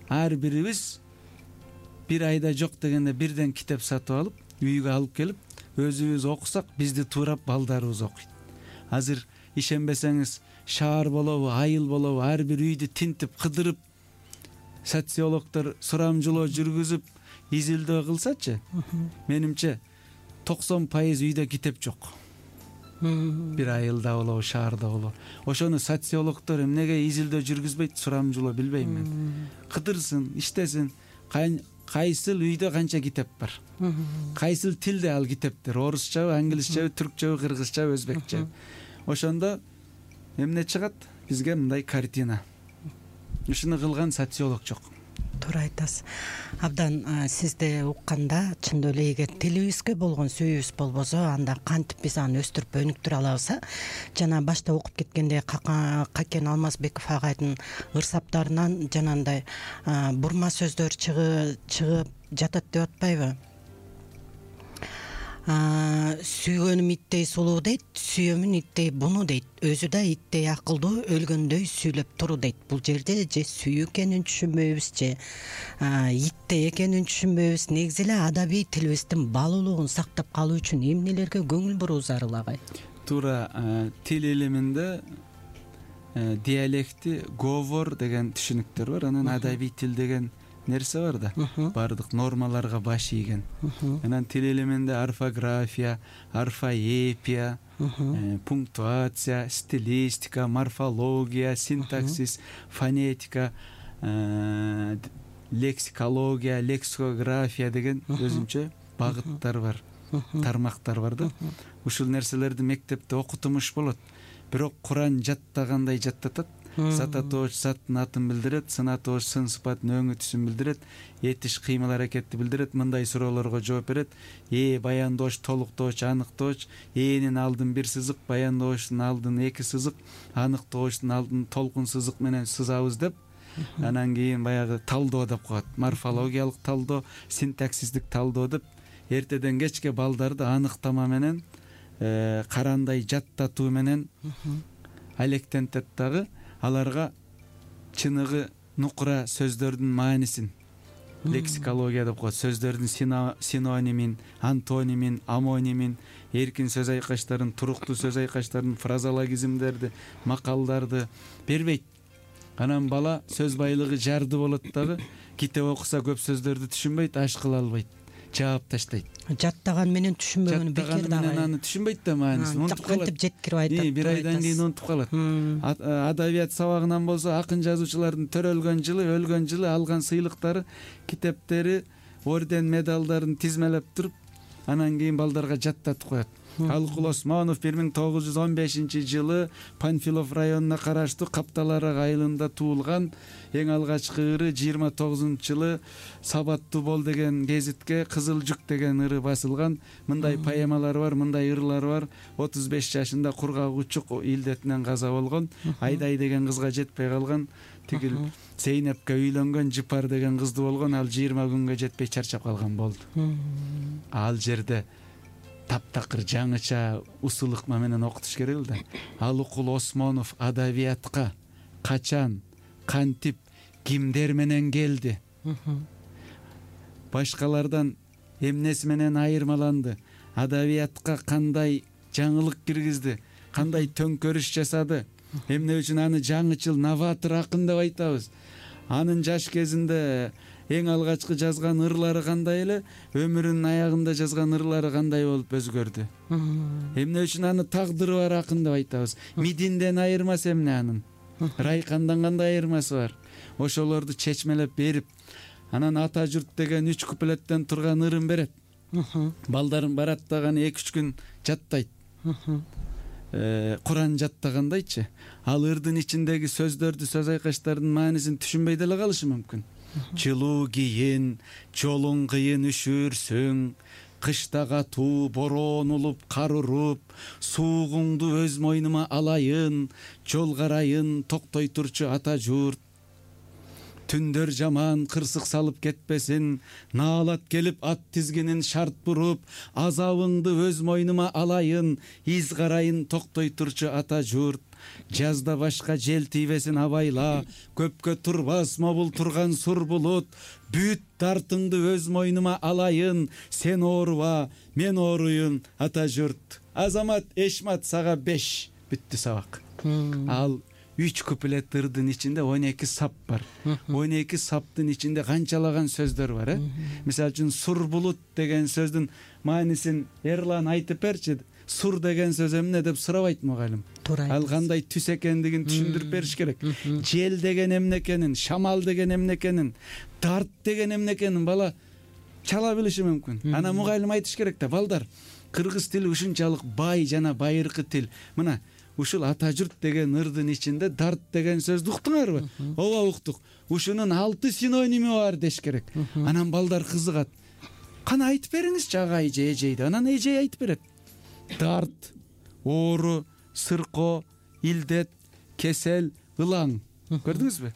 ар бирибиз бир айда жок дегенде бирден китеп сатып алып үйгө алып келип өзүбүз окусак бизди туурап балдарыбыз окуйт. Азыр ишенбесеңиз шаар болобу, айыл болобу ар бир үйдү тинтип кыдырып социологдор сурамжылоо жүргүзүп изилдөө кылсачы, менимче 90% үйдө китеп жок. Бир айылда болобу, шаарда болобу. Ошону социологдор эмнеге изилдөө жүргүзбөйт, сурамжылоо билбейм мен. Кыдырсын, иштесин, кайсыл үйдө канча китеп бар, кайсыл тилде ал китептер, орусчабы, англисчеби, түркчөбү, кыргызчабы, өзбекчеби. Ошондо эмне чыгат? Бизге мындай картина. Ушуну кылган социолог жок. Туура айтасыз. Абдан сизди укканда чындап эле эгер тилибизге болгон сүйүүбүз болбосо, анда кантип биз аны өстүрүп өнүктүрө алабыз? Жана башта окуп кеткенде Какен Алмазбеков агайдын ырсаптарынан жанагындай бурма сөздөр чыгып жатат деп атпайбы? Сүйгөнүм иттей сулуу дейт, сүйөмүн иттей буну дейт. Өзү да иттей акылдуу, өлгөндөй сүйлөп туру дейт. Бул жерде же сүйүү экенин түшүнбөйбүз, же иттей экенин түшүнбөйбүз. Негизи эле адабий тилибиздин баалуулугун сактап калуу үчүн эмнелерге көңүл буруу зарыл агай? Туура, тил илиминде диалекти, говор деген түшүнүктөр бар. Анан адабий тил деген нерсе бар да, бардык нормаларга баш ийген. Анан тил илиминде орфография, орфоэпия, пунктуация, стилистика, морфология, синтаксис, фонетика, лексикология, лексикография деген өзүнчө багыттар бар, тармактар бар да. Ушул нерселерди мектепте окутумуш болот. Бирок Куран жаттагандай жаттатат. Сататооч заттын атын билдирет, сынатооч сын сыпатын өңү түсүн билдирет, этиш кыймыл аракетти билдирет, мындай суроолорго жооп берет. Баяндооч, толуктооч, аныктооч, энин алдын бир сызык, баяндоочтун алдын эки сызык, аныктоочтун алдын толкун сызык менен сызабыз деп, анан кийин баягы талдоо деп коет. Морфологиялык талдоо, синтаксистик талдоо деп эртеден кечке балдарды аныктама менен, карандай жаттатуу менен алектентет дагы. Аларга чыныгы нукура сөздөрдүн маанисин, лексикология деп коет, сөздөрдүн синонимин, антонимин, амонимин, эркин сөз айкаштарын, туруктуу сөз айкаштарын, фразологизмдерди, макалдарды бербейт. Анан бала сөз байлыгы жарды болот дагы, китеп окуса көп сөздөрдү түшүнбөйт, аш кыла албайт, жаап таштайт. Жаттаган менен түшүнбөгөнү бекер да. Аны түшүнбөйт да маанисин, унутуп калат. Кантип жеткирип айтат. Бир айдан кийин унутуп калат. Адабият сабагынан болсо акын жазуучулардын төрөлгөн жылы, өлгөн жылы алган сыйлыктары, китептери, орден, медалдарын тизмелеп туруп, анан кийин балдарга жаттатып коет. Алыкул Осмонов 1915 жылы Панфилов районуна караштуу Капталарак айылында туулган. Эң алгачкы ыры 29-жылы Сабаттуу бол деген гезитке Кызыл жүк деген ыры басылган. Мындай поэмалар бар, мындай ырлар бар. 35 жашында кургак учук илдетинен каза болгон. Айдай деген кызга жетпей калган. Тигил Зейнепке үйлөнгөн Жыпар деген кызды болгон. Ал 20 күнгө жетпей чарчап калган болду. Ал жерде таптакыр жаңыча усулыкма менен окутуш керек эле да. Алыкул Осмонов адабиятка качан, кантип, кимдер менен келди? Башкалардан эмнеси менен айырмаланды? Адабиятка кандай жаңылык киргизди? Кандай төңкөрүш жасады? Эмне үчүн аны жаңычыл, новатор акын деп айтабыз? Анын жаш кезинде эң алгачкы жазган ырлары кандай эле, өмүрүнүн аягында жазган ырлары кандай болуп өзгөрдү? Эмне үчүн аны тагдыры бар акын деп айтабыз? Мидинден айырмасы эмне анын? Райкандан кандай айырмасы бар? Ошолорду чечмелеп берип, анан Ата журт деген 3 куплеттен турган ырын берет. Балдарым барат дагы 2-3 күн жаттайт. Куран жаттагандайчы. Ал ырдын ичиндеги сөздөрдү, сөз айкаштардын маанисин түшүнбөй деле калышы мүмкүн. Жылуу кийин, жолуң кыйын үшүрсүң, кышта катуу бороон улуп, кар уруп, суугуңду өз мойнума алайын, жол карайын, токтой турчу ата журт. Түндөр жаман кырсык салып кетпесин, наалат келип ат тизгинин шарт буруп, азабыңды өз мойнума алайын, из карайын, токтой турчу ата журт. жазда башка жел тийбесин абайла, көпкө турбасма бул турган сур булут, бүт дартыңды өз мойнума алайын, сен ооруба, мен ооруйун ата журт. Азамат Эшмат сага 5 бүттү сабак. Ал 3 куплет ырдын ичинде 12 сап бар. 12 саптын ичинде канчалаган сөздөр бар, Мисалы үчүн сур булут деген сөздүн маанисин Эрлан айтып берчи. Сур деген сөз эмне деп сурабайт мугалим. Ал кандай түс экендигин түшүндүрүп бериш керек. Жел деген эмне экенин, шамал деген эмне экенин, дарт деген эмне экенин бала чала билиши мүмкүн. Ана мугалим айтыш керек да, балдар, кыргыз тили ушунчалык бай жана байыркы тил. Мына ушул ата журт деген ырдын ичинде дарт деген сөздү уктуңарбы? Ооба уктук. Ушунун 6 синоними бар деш керек. Анан балдар кызыгат. Кана айтып бериңизчи агай же эжейди. Анан эжей айтып берет. Дарт, оору, сырко, илдет, кесел, ылаң. Көрдүңүзбү?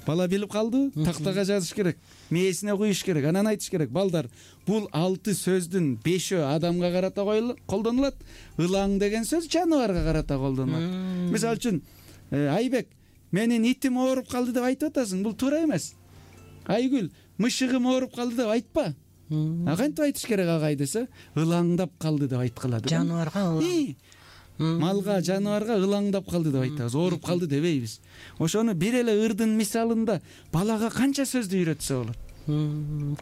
Бала билип калды, тактага жазыш керек, мээсине куюш керек. Анан айтыш керек, балдар, бул 6 сөздүн 5-өө адамга карата колдонулат. Ылаң деген сөз жаныбарга карата колдонулат. Мисалы үчүн, Айбек, менин итим ооруп калды деп айтып атасың, бул туура эмес. Айгүл, мышыгым ооруп калды деп айтпа. Кантип айтыш керек агай десе, ылаңдап калды деп айткыла. Жаныбарга ылаң. Малга, жаныбарга ылаңдап калды деп айтабыз, ооруп калды дебейбиз. Ошону бир эле ырдын мисалында балага канча сөздү үйрөтсө болот?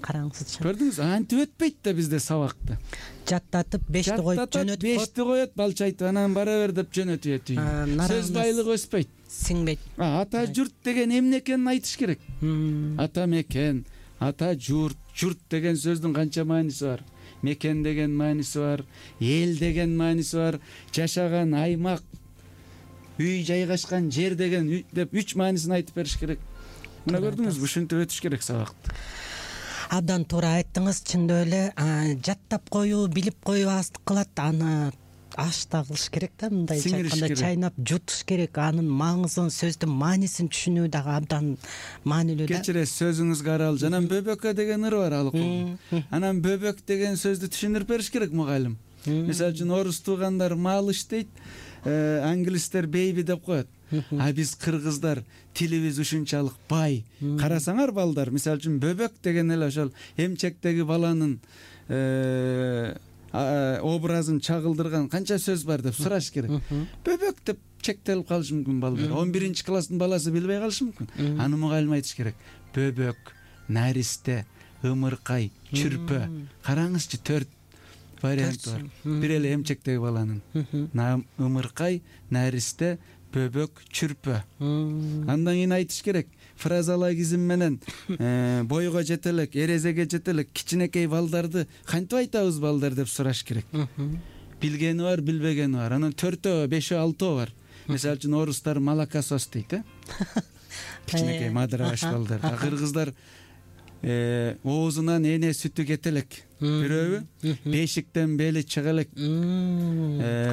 Караңызчы. Көрдүңүз, антип өтпөйт да бизде сабакты. Жаттатып 5ти коюп жөнөтүп, 5ти коет, балча айтып, анан бара бер деп жөнөтүп өтүй. Сөз байлыгы өспөйт. Сиңбейт. Ата журт деген эмне экенин айтыш керек. Ата мекен, ата журт, журт деген сөздүн канча мааниси бар? Мекен деген мааниси бар, эл деген мааниси бар, жашаган аймак, үй жайгашкан жер деген деп 3 маанисин айтып бериш керек. Мына көрдүңүзбү, ушинтип өтүш керек сабакты. Абдан туура айттыңыз, чындап эле жаттап коюу, билип коюу аздык кылат, аны ашта кылыш керек да, мындайча айтканда чайнап жутуш керек. Анын маңызын, сөздүн маанисин түшүнүү дагы абдан маанилүү да. Кечиресиз, сөзүңүзгө аралжы. Анан бөбөккө деген ыр бар ал. Анан бөбөк деген сөздү түшүндүрүп бериш керек мугалим. Мисалы үчүн орус туугандар малыш дейт, англистер бейби деп коет. А биз кыргыздар тилибиз ушунчалык бай. Карасаңар балдар, мисалы үчүн бөбөк деген эле ошол эмчектеги баланын образын чагылдырган канча сөз бар деп сураш керек. Бөбөк деп чектелип калышы мүмкүн балдар. 11 класстын баласы билбей калышы мүмкүн. Аны мугалим айтыш керек. Бөбөк, наристе, ымыркай, чүрпө. Караңызчы, 4 вариант бар. Бир эле эмчектеги баланын. Ымыркай, наристе, бөбөк, чүрпө. Андан кийин айтыш керек. Фразологизм менен бойго жете элек, эрезеге жете элек кичинекей балдарды кантип айтабыз балдар деп сураш керек. Билгени бар, билбегени бар. Анан 4-өө, 5-өө, 6-өө бар. Мисалы үчүн орустар малакасос дейт, кичинекей мадырабаш балдар. Кыргыздар оозунан эне сүтү кете элек. Бирөөбү? Бешиктен бели чыга элек.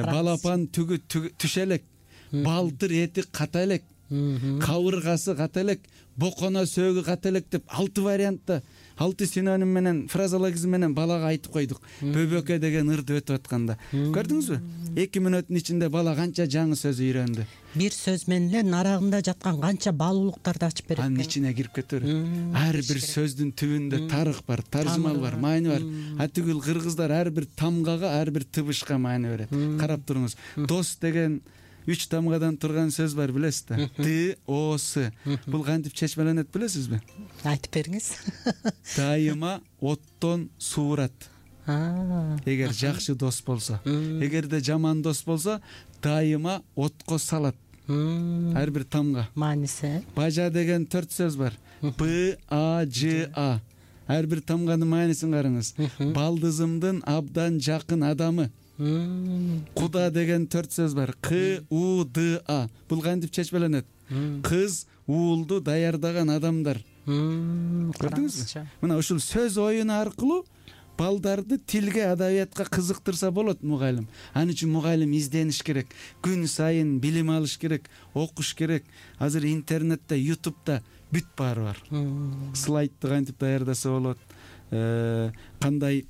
Балапан түгү түшө элек. Балтыр эти ката элек. Кабыргасы ката элек, боконо сөөгү ката элек деп 6 вариантта, 6 синоним менен, фразологизм менен балага айтып койдук. Бөбөккө деген ырды өтүп атканда. Көрдүңүзбү? 2 мүнөттүн ичинде бала канча жаңы сөз үйрөндү. Бир сөз менен эле нарагында жаткан канча баалуулуктарды ачып берет. Анын ичине кирип кетер. Ар бир сөздүн түбүндө тарых бар, таржымал бар, маани бар. Атүгүл кыргыздар ар бир тамгага, ар бир тыбышка маани берет. Карап туруңуз. Дос деген 3 тамгадан турган сөз бар, билесиз да? Т, О, С. Бул кантип чечмеленет билесизби? Айтып бериңиз. Дайыма оттон суурат. Эгер жакшы дос болсо. Эгерде жаман дос болсо, дайыма отко салат. Ар бир тамга. Мааниси. Бажа деген 4 сөз бар. Б, А, Ж, А. Ар бир тамганын маанисин караңыз. Балдызымдын абдан жакын адамы. Куда деген 4 сөз бар. К, У, Д, А. Бул кантип чечмеленет? Кыз уулду даярдаган адамдар. Көрдүңүзбү? Мына ушул сөз оюну аркылуу балдарды тилге, адабиятка кызыктырса болот мугалим. Аны үчүн мугалим издениш керек. Күн сайын билим алыш керек, окуш керек. Азыр интернетте, YouTube'да бүт баары бар. Слайдты кантип даярдаса болот, кандай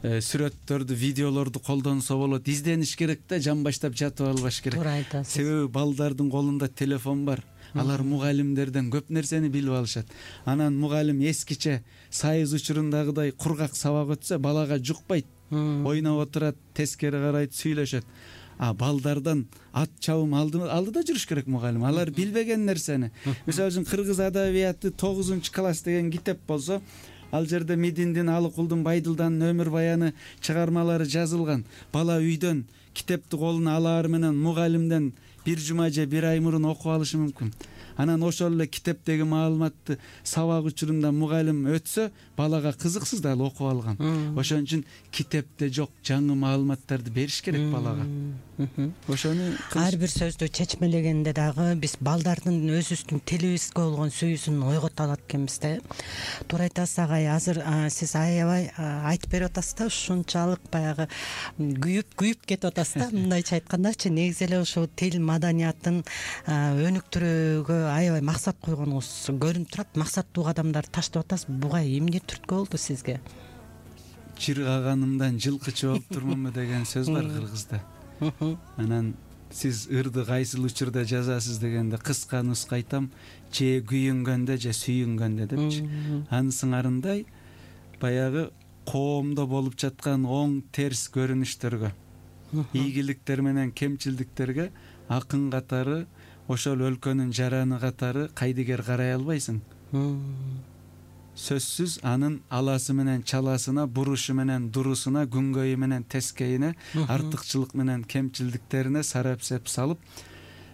сүрөттөрдү, видеолорду колдонсо болот. Издениш керек да, жамбаштап жатып албаш керек. Туура айтасыз. Себеби балдардын колунда телефон бар. Алар мугалимдерден көп нерсени билип алышат. Анан мугалим эскиче сайыз учурундагыдай кургак сабак өтсө, балага жукпайт. Ойноп отурат, тескери карайт, сүйлөшөт. Балдардан ат чабым алдыда жүрүш керек мугалим. Алар билбеген нерсени. Мисалы үчүн кыргыз адабияты 9-класс деген китеп болсо, ал жерде Мединдин, Алыкулдун, Байдылданын өмүр баяны чыгармалары жазылган. Бала үйдөн китепти колуна алаар менен мугалимден бир жума же бир ай мурун окуп алышы мүмкүн. Анан ошол эле китептеги маалыматты сабак учурунда мугалим өтсө, балага кызыксыз да окуп алган. Ошон үчүн китепте жок жаңы маалыматтарды бериш керек балага. Ошону ар бир сөздү чечмелегенде дагы биз балдардын өзүбүздүн тилибизге болгон сүйүүсүн ойгото алат экенбиз да. Туура айтасыз агай, азыр сиз аябай айтып берип атасыз да, ушунчалык баягы күйүп кетип атасыз да. Мындайча айткандачы, негизи эле ушул тил маданиятын өнүктүрүүгө аябай максат койгонуңуз көрүнүп турат. Максаттуу кадамдарды таштап атасыз. Буга эмне түрткү болду сизге? Чыргаганымдан жылкы чыгып турмунбу деген сөз бар кыргызда. Анан сиз ырды кайсыл учурда жазасыз дегенде кыска нуска айтам: же күйүнгөндө, же сүйүнгөндө депчи. Анын сыңарындай баягы коомдо болуп жаткан оң терс көрүнүштөргө, ийгиликтер менен кемчилдиктерге акын катары, ошол өлкөнүн жараны катары кайдыгер карай албайсың. Сөзсүз анын аласы менен чаласына, бурушу менен дурусуна, күнгөйү менен тескейине, артыкчылык менен кемчилдиктерине сарапсеп салып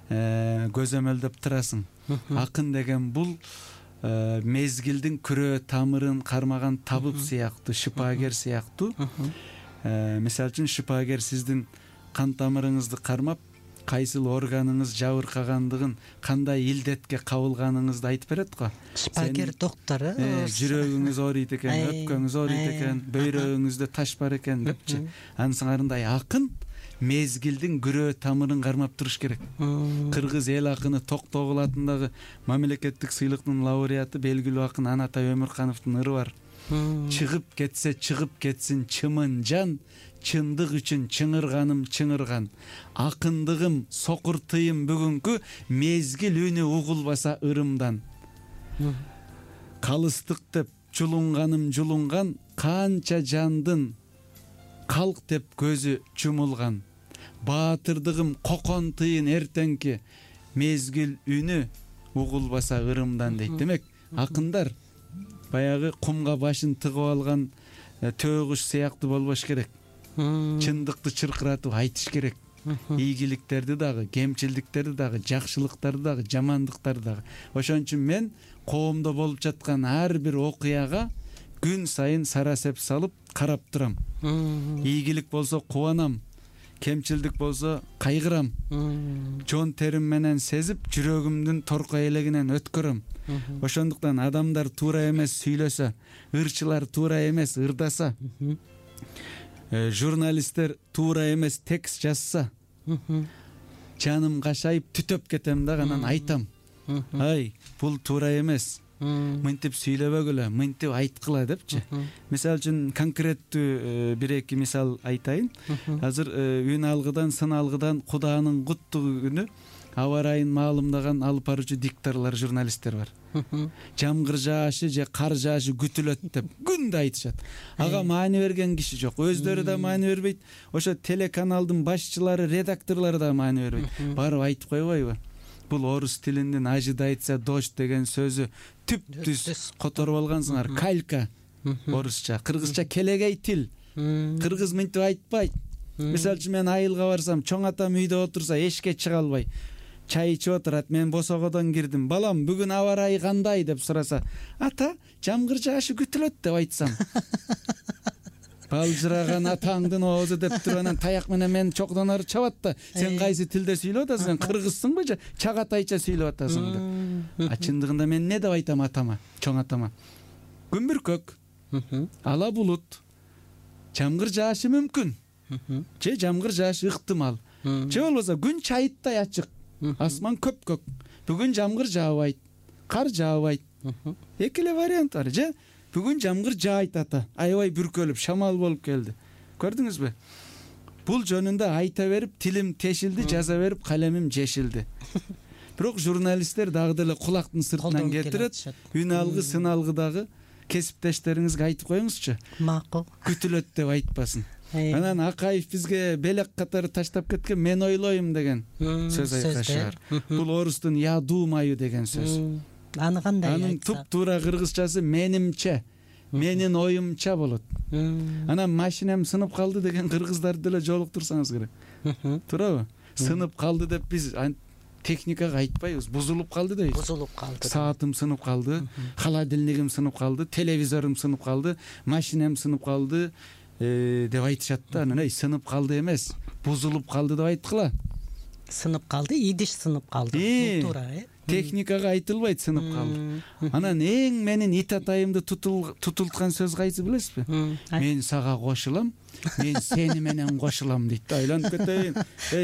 көзөмөлдөп турасың. Акын деген бул мезгилдин күрөө тамырын кармаган табып сыяктуу, шипагер сыяктуу. Мисалы үчүн шипагер сиздин кан тамырыңызды кармап, кайсыл органыңыз жабыркагандыгын, кандай илдетке кабылганыңызды айтып берет го. Шипагер доктор, жүрөгүңүз ооруйт экен, өпкөңүз ооруйт экен, бөйрөгүңүздө таш бар экен депчи. Анын сыңарындай акын мезгилдин күрөө тамырын кармап туруш керек. Кыргыз эл акыны Токтогул атындагы мамлекеттик сыйлыктын лауреаты белгилүү акын Анатай Өмүркановдун ыры бар. Чыгып кетсе чыгып кетсин чымын жан, чындык үчүн чыңырганым чыңырган. Акындыгым сокуртыйым бүгүнкү, мезгил үнү угулбаса ырымдан. Калыстык деп жулунганым жулунган, канча жандын калк деп көзү чумулган. Баатырдыгым кокон тыйын эртеңки, мезгил үнү угулбаса ырымдан дейт. Демек, акындар баягы кумга башын тыгып алган төө куш сыяктуу болбош керек. Чындыкты чыркыратып айтыш керек. Ийгиликтерди дагы, кемчилдиктерди дагы, жакшылыктарды дагы, жамандыктарды дагы. Ошон үчүн мен коомдо болуп жаткан ар бир окуяга күн сайын сарасеп салып карап турам. Ийгилик болсо кубанам, кемчилдик болсо кайгырам. Жон терим менен сезип, жүрөгүмдүн торко элегинен өткөрөм. Ошондуктан адамдар туура эмес сүйлөсө, ырчылар туура эмес ырдаса, журналисттер туура эмес текст жазса, жаным кашайып түтөп кетем да, анан айтам: ай, бул туура эмес, мынтип сүйлөбөгүлө, мынтип айткыла депчи. Мисалы үчүн конкреттүү бир-эки мисал айтайын. Азыр үн алгыдан, сын алгыдан Кудаанын куттугу күнү аба ырайын маалымдаган алып баруучу дикторлор, журналисттер бар. Жамгыр жаашы же кар жаашы күтүлөт деп күндө айтышат. Ага маани берген киши жок, өздөрү да маани бербейт, ошо телеканалдын башчылары, редакторлору да маани бербейт. Барып айтып койбойбу? Бул орус тилинин ожидается дождь деген сөзү түп-түз которуп алгансыңар. Калька орусча, кыргызча келегей тил. Кыргыз мынтип айтпайт. Мисалы үчүн мен айылга барсам, чоң атам үйдө отурса, эшикке чыга албай, чай ичип отурат. Мен босогодон кирдим. Балам, бүгүн аба ырайы кандай деп сураса, ата, жамгыр жаашы күтүлөт деп айтсам, балжыраган атаңдын оозу деп туруп анан таяк менен мени чокдон ары чабат да. Сен кайсы тилде сүйлөп атасың? Сен кыргызсыңбы же чагатайча сүйлөп атасың деп. Чындыгында мен не деп айтам атама, чоң атама? Күн бүркөк, ала булут, жамгыр жаашы мүмкүн, же жамгыр жаашы ыктымал, же болбосо күн чайыттай ачык, асман көпкөк, бүгүн жамгыр жаабайт, кар жаабайт. Эки эле вариант бар. Же бүгүн жамгыр жаайт ата, аябай бүркөлүп шамал болуп келди. Көрдүңүзбү? Бул жөнүндө айта берип тилим тешилди, жаза берип калемим жешилди. Бирок журналисттер дагы деле кулактын сыртынан кетирет. Үн алгы, сын алгыдагы кесиптештериңизге айтып коюңузчу. Макул. Күтүлөт деп айтпасын. Анан Акаев бизге белек катары таштап кеткен мен ойлойм деген сөз айкашар. Бул орустун я думаю деген сөз. Аны кандай айтса? Анын туп-туура кыргызчасы менимче, менин оюмча болот. Анан машинем сынып калды деген кыргыздарды деле жолуктурсаңыз керек. Туурабы? Сынып калды деп биз техникага айтпайбыз, бузулуп калды дейбиз. Бузулуп калды. Саатым сынып калды, холодильнигим сынып калды, телевизорум сынып калды, машинем сынып калды деп айтышат да. Анан сынып калды эмес, бузулуп калды деп айткыла. Сынып калды, идиш сынып калды. Туура, Техникага айтылбайт сынып калды. Анан эң менин ит атайымды тутулткан сөз кайсы билесизби? Мен сага кошулам, мен сени менен кошулам дейт. Айланып кетейин.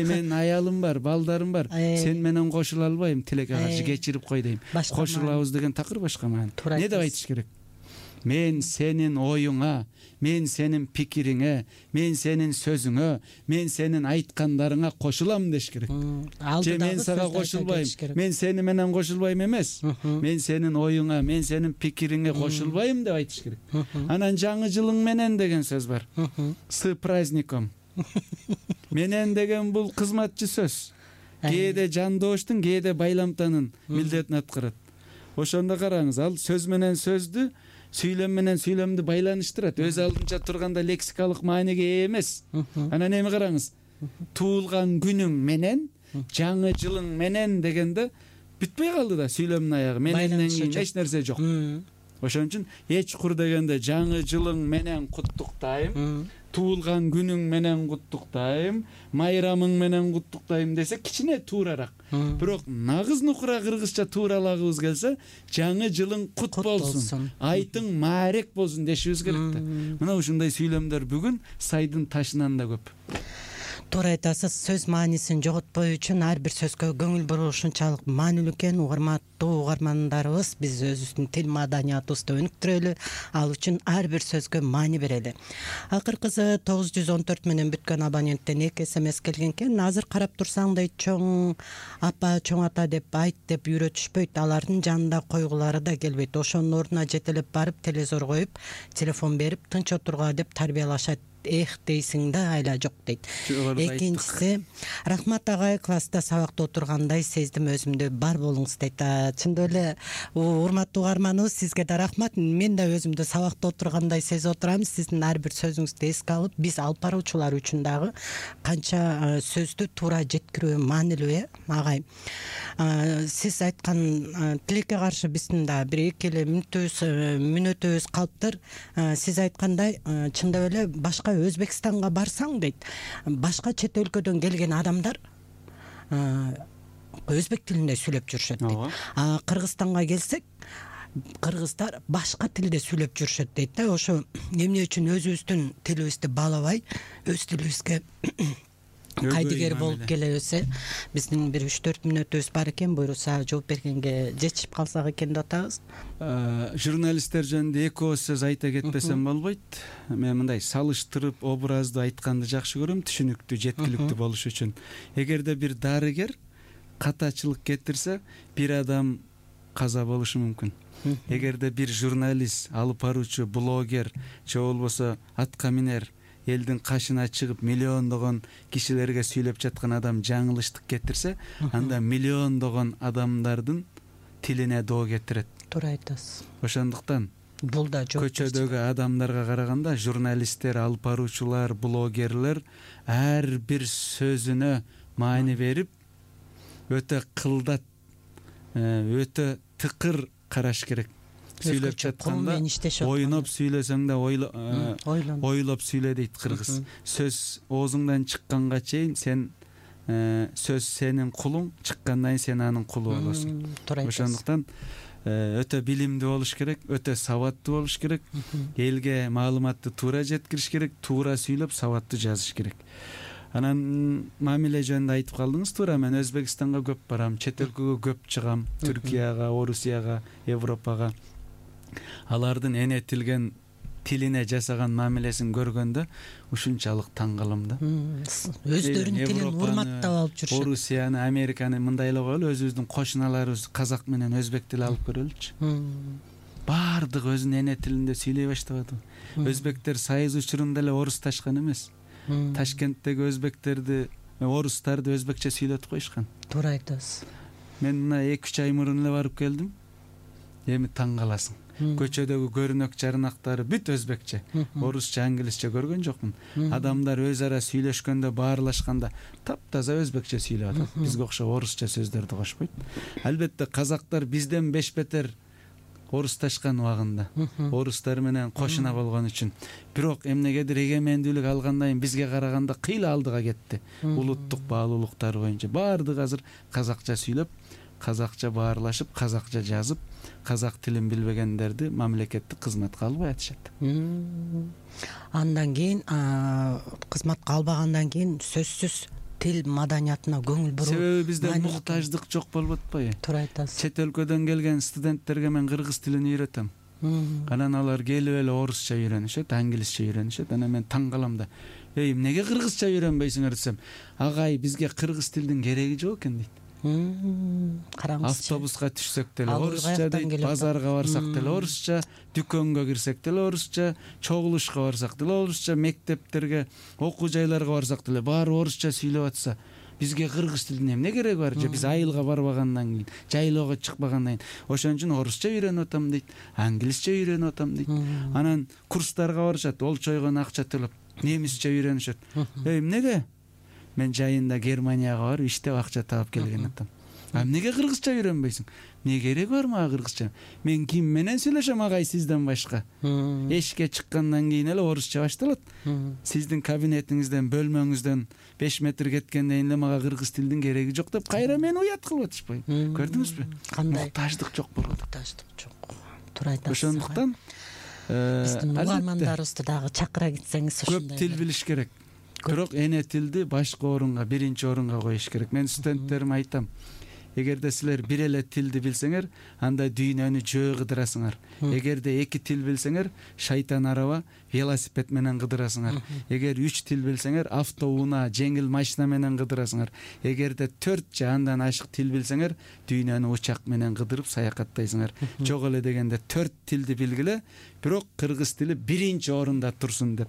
Менин аялым бар, балдарым бар. Сен менен кошула албайм, тилекке каршы кечирип кой дейм. Кошулабыз деген такыр башка маани. Не деп айтыш керек? Мен сенин оюңа, мен сенин пикириңе, мен сенин сөзүңө, мен сенин айткандарыңа кошулам деш керек. Же мен сага кошулбайм, мен сени менен кошулбайм эмес. Мен сенин оюңа, мен сенин пикириңе кошулбайм деп айтыш керек. Анан жаңы жылың менен деген сөз бар. С праздником. Менен деген бул кызматчы сөз. Кээде жандооштун, кээде байламтанын милдетин аткарат. Ошондо караңыз, ал сөз менен сөздү, сүйлөм менен сүйлөмдү байланыштырат. Өз алдынча турганда лексикалык мааниге ээ эмес. Анан эми караңыз, туулган күнүң менен, жаңы жылың менен дегенде бүтпөй калды да сүйлөмдүн аягы. Мененден кийин эч нерсе жок. Ошон үчүн эч кур дегенде жаңы жылың менен куттуктайм, туулган күнүң менен куттуктайм, майрамың менен куттуктайм десе кичине туурарак. Бирок нагыз нукура кыргызча тууралагыбыз келсе, жаңы жылың кут болсун, айтың маарек болсун дешибиз керек да. Мына ушундай сүйлөмдөр бүгүн сайдын ташынан да көп. Туура айтасыз, сөз маанисин жоготпоо үчүн ар бир сөзгө көңүл буруу ушунчалык маанилүү экен. Урматтуу угармандарыбыз, биз өзүбүздүн тил маданиятыбызды өнүктүрөлү, ал үчүн ар бир сөзгө маани берели. Акыркысы 914 менен бүткөн абоненттен 2 SMS келген экен. Азыр карап турсаңдай чоң апа, чоң ата деп айт деп үйрөтүшпөйт. Алардын жанында койгулары да келбейт. Ошонун ордуна жетелеп барып телевизор коюп, телефон берип тынч отурга деп тарбиялашат. Эх дейсиң да, айла жок дейт. Экинчиси, рахмат агай, класста сабакта отургандай сездим өзүмдү, бар болуңуз дейт. Чындап эле урматтуу угарманыбыз, сизге да рахмат. Мен да өзүмдү сабакта отургандай сезип отурам. Сиздин ар бир сөзүңүздү эске алып, биз алып баруучулар үчүн дагы канча сөздү туура жеткирүү маанилүү, агай. Сиз айткан тилекке каршы биздин да бир эки эле мүнөтүбүз калыптыр. Сиз айткандай, чындап эле башка Өзбекстанга барсаң дейт, башка чет өлкөдөн келген адамдар өзбек тилинде сүйлөп жүрүшөт дейт. Кыргызстанга келсек, кыргыздар башка тилде сүйлөп жүрүшөт дейт да. Ошо эмне үчүн өзүбүздүн тилибизди баалабай, өз тилибизге кайдыгер болуп келебиз? Биздин бир 3-4 мүнөтүбүз бар экен, буйруса жооп бергенге жетишип калсак экен деп атабыз. Журналисттер жөнүндө эки ооз сөз айта кетпесем болбойт. Мен мындай салыштырып, образды айтканды жакшы көрөм, түшүнүктүү, жеткиликтүү болуш үчүн. Эгерде бир дарыгер катачылык кетирсе, бир адам каза болушу мүмкүн. Эгерде бир журналист, алып баруучу, блогер же болбосо атка минер элдин кашына чыгып миллиондогон кишилерге сүйлөп жаткан адам жаңылыштык кетирсе, анда миллиондогон адамдардын тилине доо кетирет. Туура айтасыз. Ошондуктан бул да көчөдөгү адамдарга караганда журналисттер, алып баруучулар, блогерлер ар бир сөзүнө маани берип, өтө кылдат, өтө тыкыр караш керек. Сүйлөп жатканда ойноп сүйлөсөң да ойлоп сүйлө дейт кыргыз. Сөз оозуңдан чыкканга чейин сен сөз сенин кулуң, чыккандан кийин сен анын кулу болосуң. Ошондуктан өтө билимдүү болуш керек, өтө сабаттуу болуш керек, элге маалыматты туура жеткириш керек, туура сүйлөп, сабаттуу жазыш керек. Анан мамиле жөнүндө айтып калдыңыз. Туура, мен Өзбекстанга көп барам, чет өлкөгө көп чыгам, Түркияга, Орусияга, Европага. алардын энетилген тилине жасаган мамилесин көргөндө ушунчалык таң калам да. Өздөрүнүн тилин урматтап алып жүрүшөт. Орусияны, Американы мындай эле коелу, өзүбүздүн кошуналарыбыз казак менен өзбек тили алып көрөлүчү. Баардыгы өзүнүн эне тилинде сүйлөй баштабадыбы? Өзбектер Сайыз учурунда эле орусташкан эмес. Ташкенттеги өзбектерди, орустарды өзбекче сүйлөтүп коюшкан. Туура айтасыз. Мен мына 2-3 ай мурун эле барып келдим. Эми таң каласың. Көчөдөгү көрүнөк жарнактары бүт өзбекче, орусча, англисче көргөн жокмун. Адамдар өз ара сүйлөшкөндө, баарлашканда таптаза өзбекче сүйлөп атат. Бизге окшоп орусча сөздөрдү кошпойт. Албетте казактар бизден беш-бетер орусташкан убагында, орустар менен кошуна болгон үчүн. Бирок эмнегедир эгемендүүлүк алгандан кийин бизге караганда кыйла алдыга кетти. Улуттук баалуулуктар боюнча баардыгы азыр казакча сүйлөп, казакча баарлашып, казакча жазып, казак тилин билбегендерди мамлекеттик кызматка албай атышат. Андан кийин кызматка албагандан кийин сөзсүз тил маданиятына көңүл буруу. Себеби бизде муктаждык жок болуп атпайбы? Туура айтасыз. Чет өлкөдөн келген студенттерге мен кыргыз тилин үйрөтөм. Анан алар келип эле орусча үйрөнүшөт, англисче үйрөнүшөт. Анан мен таң калам да. Эмнеге кыргызча үйрөнбөйсүңөр десем, агай бизге кыргыз тилдин кереги жок экен дейт. Караңызчы. Автобуска түшсөк деле орусча дейт, базарга барсак деле орусча, дүкөнгө кирсек деле орусча, чогулушка барсак деле орусча, мектептерге, окуу жайларга барсак деле баары орусча сүйлөп атса, бизге кыргыз тилинин эмне кереги бар? Же биз айылга барбагандан кийин, жайлоого чыкпагандан кийин, ошон үчүн орусча үйрөнүп атам дейт, англисче үйрөнүп атам дейт. Анан курстарга барышат, олчойгон акча төлөп, немисче үйрөнүшөт. Эмнеге? Мен жайында Германияга барып иштеп акча таап келген атам. Эмнеге кыргызча үйрөнбөйсүң? Эмне кереги бар мага кыргызча? Мен ким менен сүйлөшөм агай сизден башка? Эшикке чыккандан кийин эле орусча башталат. Сиздин кабинетиңизден, бөлмөңүздөн 5 метр кеткенден кийин эле мага кыргыз тилдин кереги жок деп кайра мени уят кылып атышпайбы? Көрдүңүзбү? Кандай муктаждык жок болот. Муктаждык жок. Туура айтасыз. Ошондуктан биздин угармандарыбызды дагы чакыра кетсеңиз ушундай. Көп тил билиш керек. Бирок эне тилди башкы орунга, биринчи орунга коюш керек. Мен студенттериме айтам. Эгерде силер бир эле тилди билсеңер, анда дүйнөнү жөө кыдырасыңар. Эгерде 2 тил билсеңер, шайтан араба, велосипед менен кыдырасыңар. Эгер 3 тил билсеңер, автоунаа, жеңил машина менен кыдырасыңар. Эгерде 4 же андан ашык тил билсеңер, дүйнөнү учак менен кыдырып саякаттайсыңар. Жок эле дегенде 4 тилди билгиле, бирок кыргыз тили биринчи орунда турсун деп.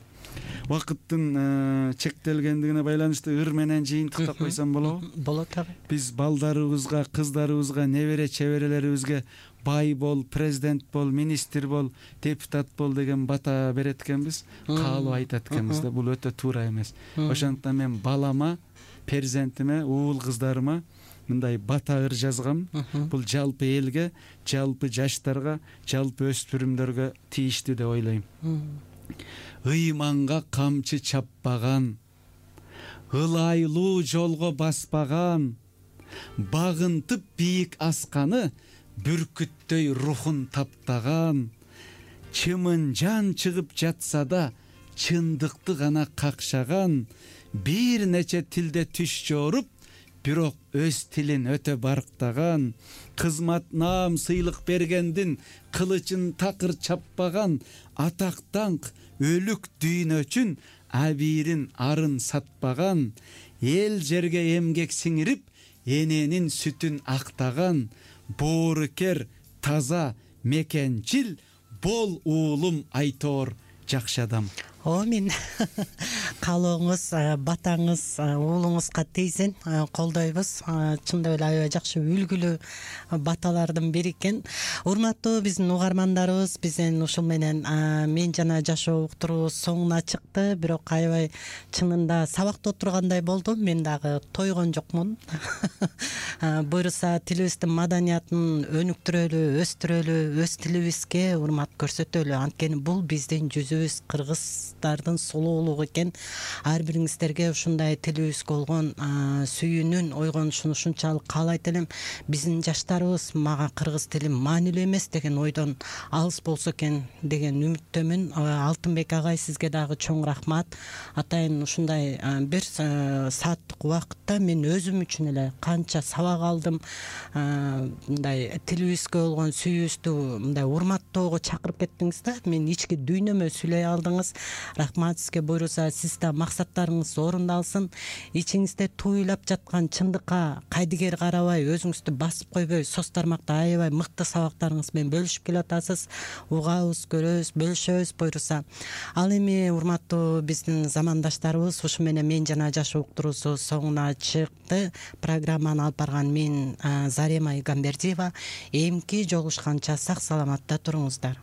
Убакыттын чектелгендигине байланыштуу ыр менен жыйынтыктап койсом болобу? Болот агай. Биз балдарыбызга, кыздарыбызга, небере чеберелерибизге бай бол, президент бол, министр бол, депутат бол деген бата берет экенбиз, каалоо айтат экенбиз да. Бул өтө туура эмес. Ошондуктан мен балама, перзентиме, уул кыздарыма мындай бата ыр жазгам. Бул жалпы элге, жалпы жаштарга, жалпы өспүрүмдөргө тийиштүү деп ойлойм. Ыйманга камчы чаппаган, ылайлуу жолго баспаган, багынтып бийик асканы бүркүттөй рухун таптаган, чымын жан чыгып жатса да чындыкты гана какшаган, бир нече тилде түш жоруп, бирок өз тилин өтө барктаган, кызмат наам сыйлык бергендин кылычын такыр чаппаган, атак даңк өлүк дүйнө үчүн абийирин арын сатпаган, эл жерге эмгек сиңирип, эненин сүтүн актаган, боорукер, таза, мекенчил, бол уулум айтоор жакшы адам. Мен каалооңуз, батаңыз уулуңузга тийсин, колдойбуз. Чындап эле аябай жакшы үлгүлүү баталардын бири экен. Урматтуу биздин угармандарыбыз, биздин ушул менен мен жана жашоо уктуруу соңуна чыкты. Бирок аябай чынында сабакта отургандай болду. Мен дагы тойгон жокмун. Буюрса тилибиздин маданиятын өнүктүрөлү, өстүрөлү, өз тилибизге урмат көрсөтөлү. Анткени бул биздин жүзүбүз, кыргыздардын сулуулугу экен. ар бириңиздерге ушундай тилибизге болгон сүйүүнүн ойгонушун ушунчалык каалайт элем. Биздин жаштарыбыз мага кыргыз тили маанилүү эмес деген ойдон алыс болсо экен деген үмүттөмүн. Алтынбек агай, сизге дагы чоң рахмат. Атайын ушундай бир сааттык убакытта мен өзүм үчүн эле канча сабак алдым. Мындай тилибизге болгон сүйүүбүздү мындай урматтоого чакырып кеттиңиз да. Мен ички дүйнөмө сүйлөй алдыңыз. Рахмат сизге. Буйруса сиз да максаттарыңыз орундалсын. Ичиңизде туйлап жаткан чындыкка кайдыгер карабай, өзүңүздү басып койбой, соц тармакта аябай мыкты сабактарыңыз менен бөлүшүп келатасыз. Угабыз, көрөбүз, бөлүшөбүз буйруса. Ал эми урматтуу биздин замандаштарыбыз, ушу менен мен жана жашоо уктуруусу соңуна чыкты. Программаны алып барган мен Зарема Игамбердиева. Эмки жолугушканча сак саламатта туруңуздар.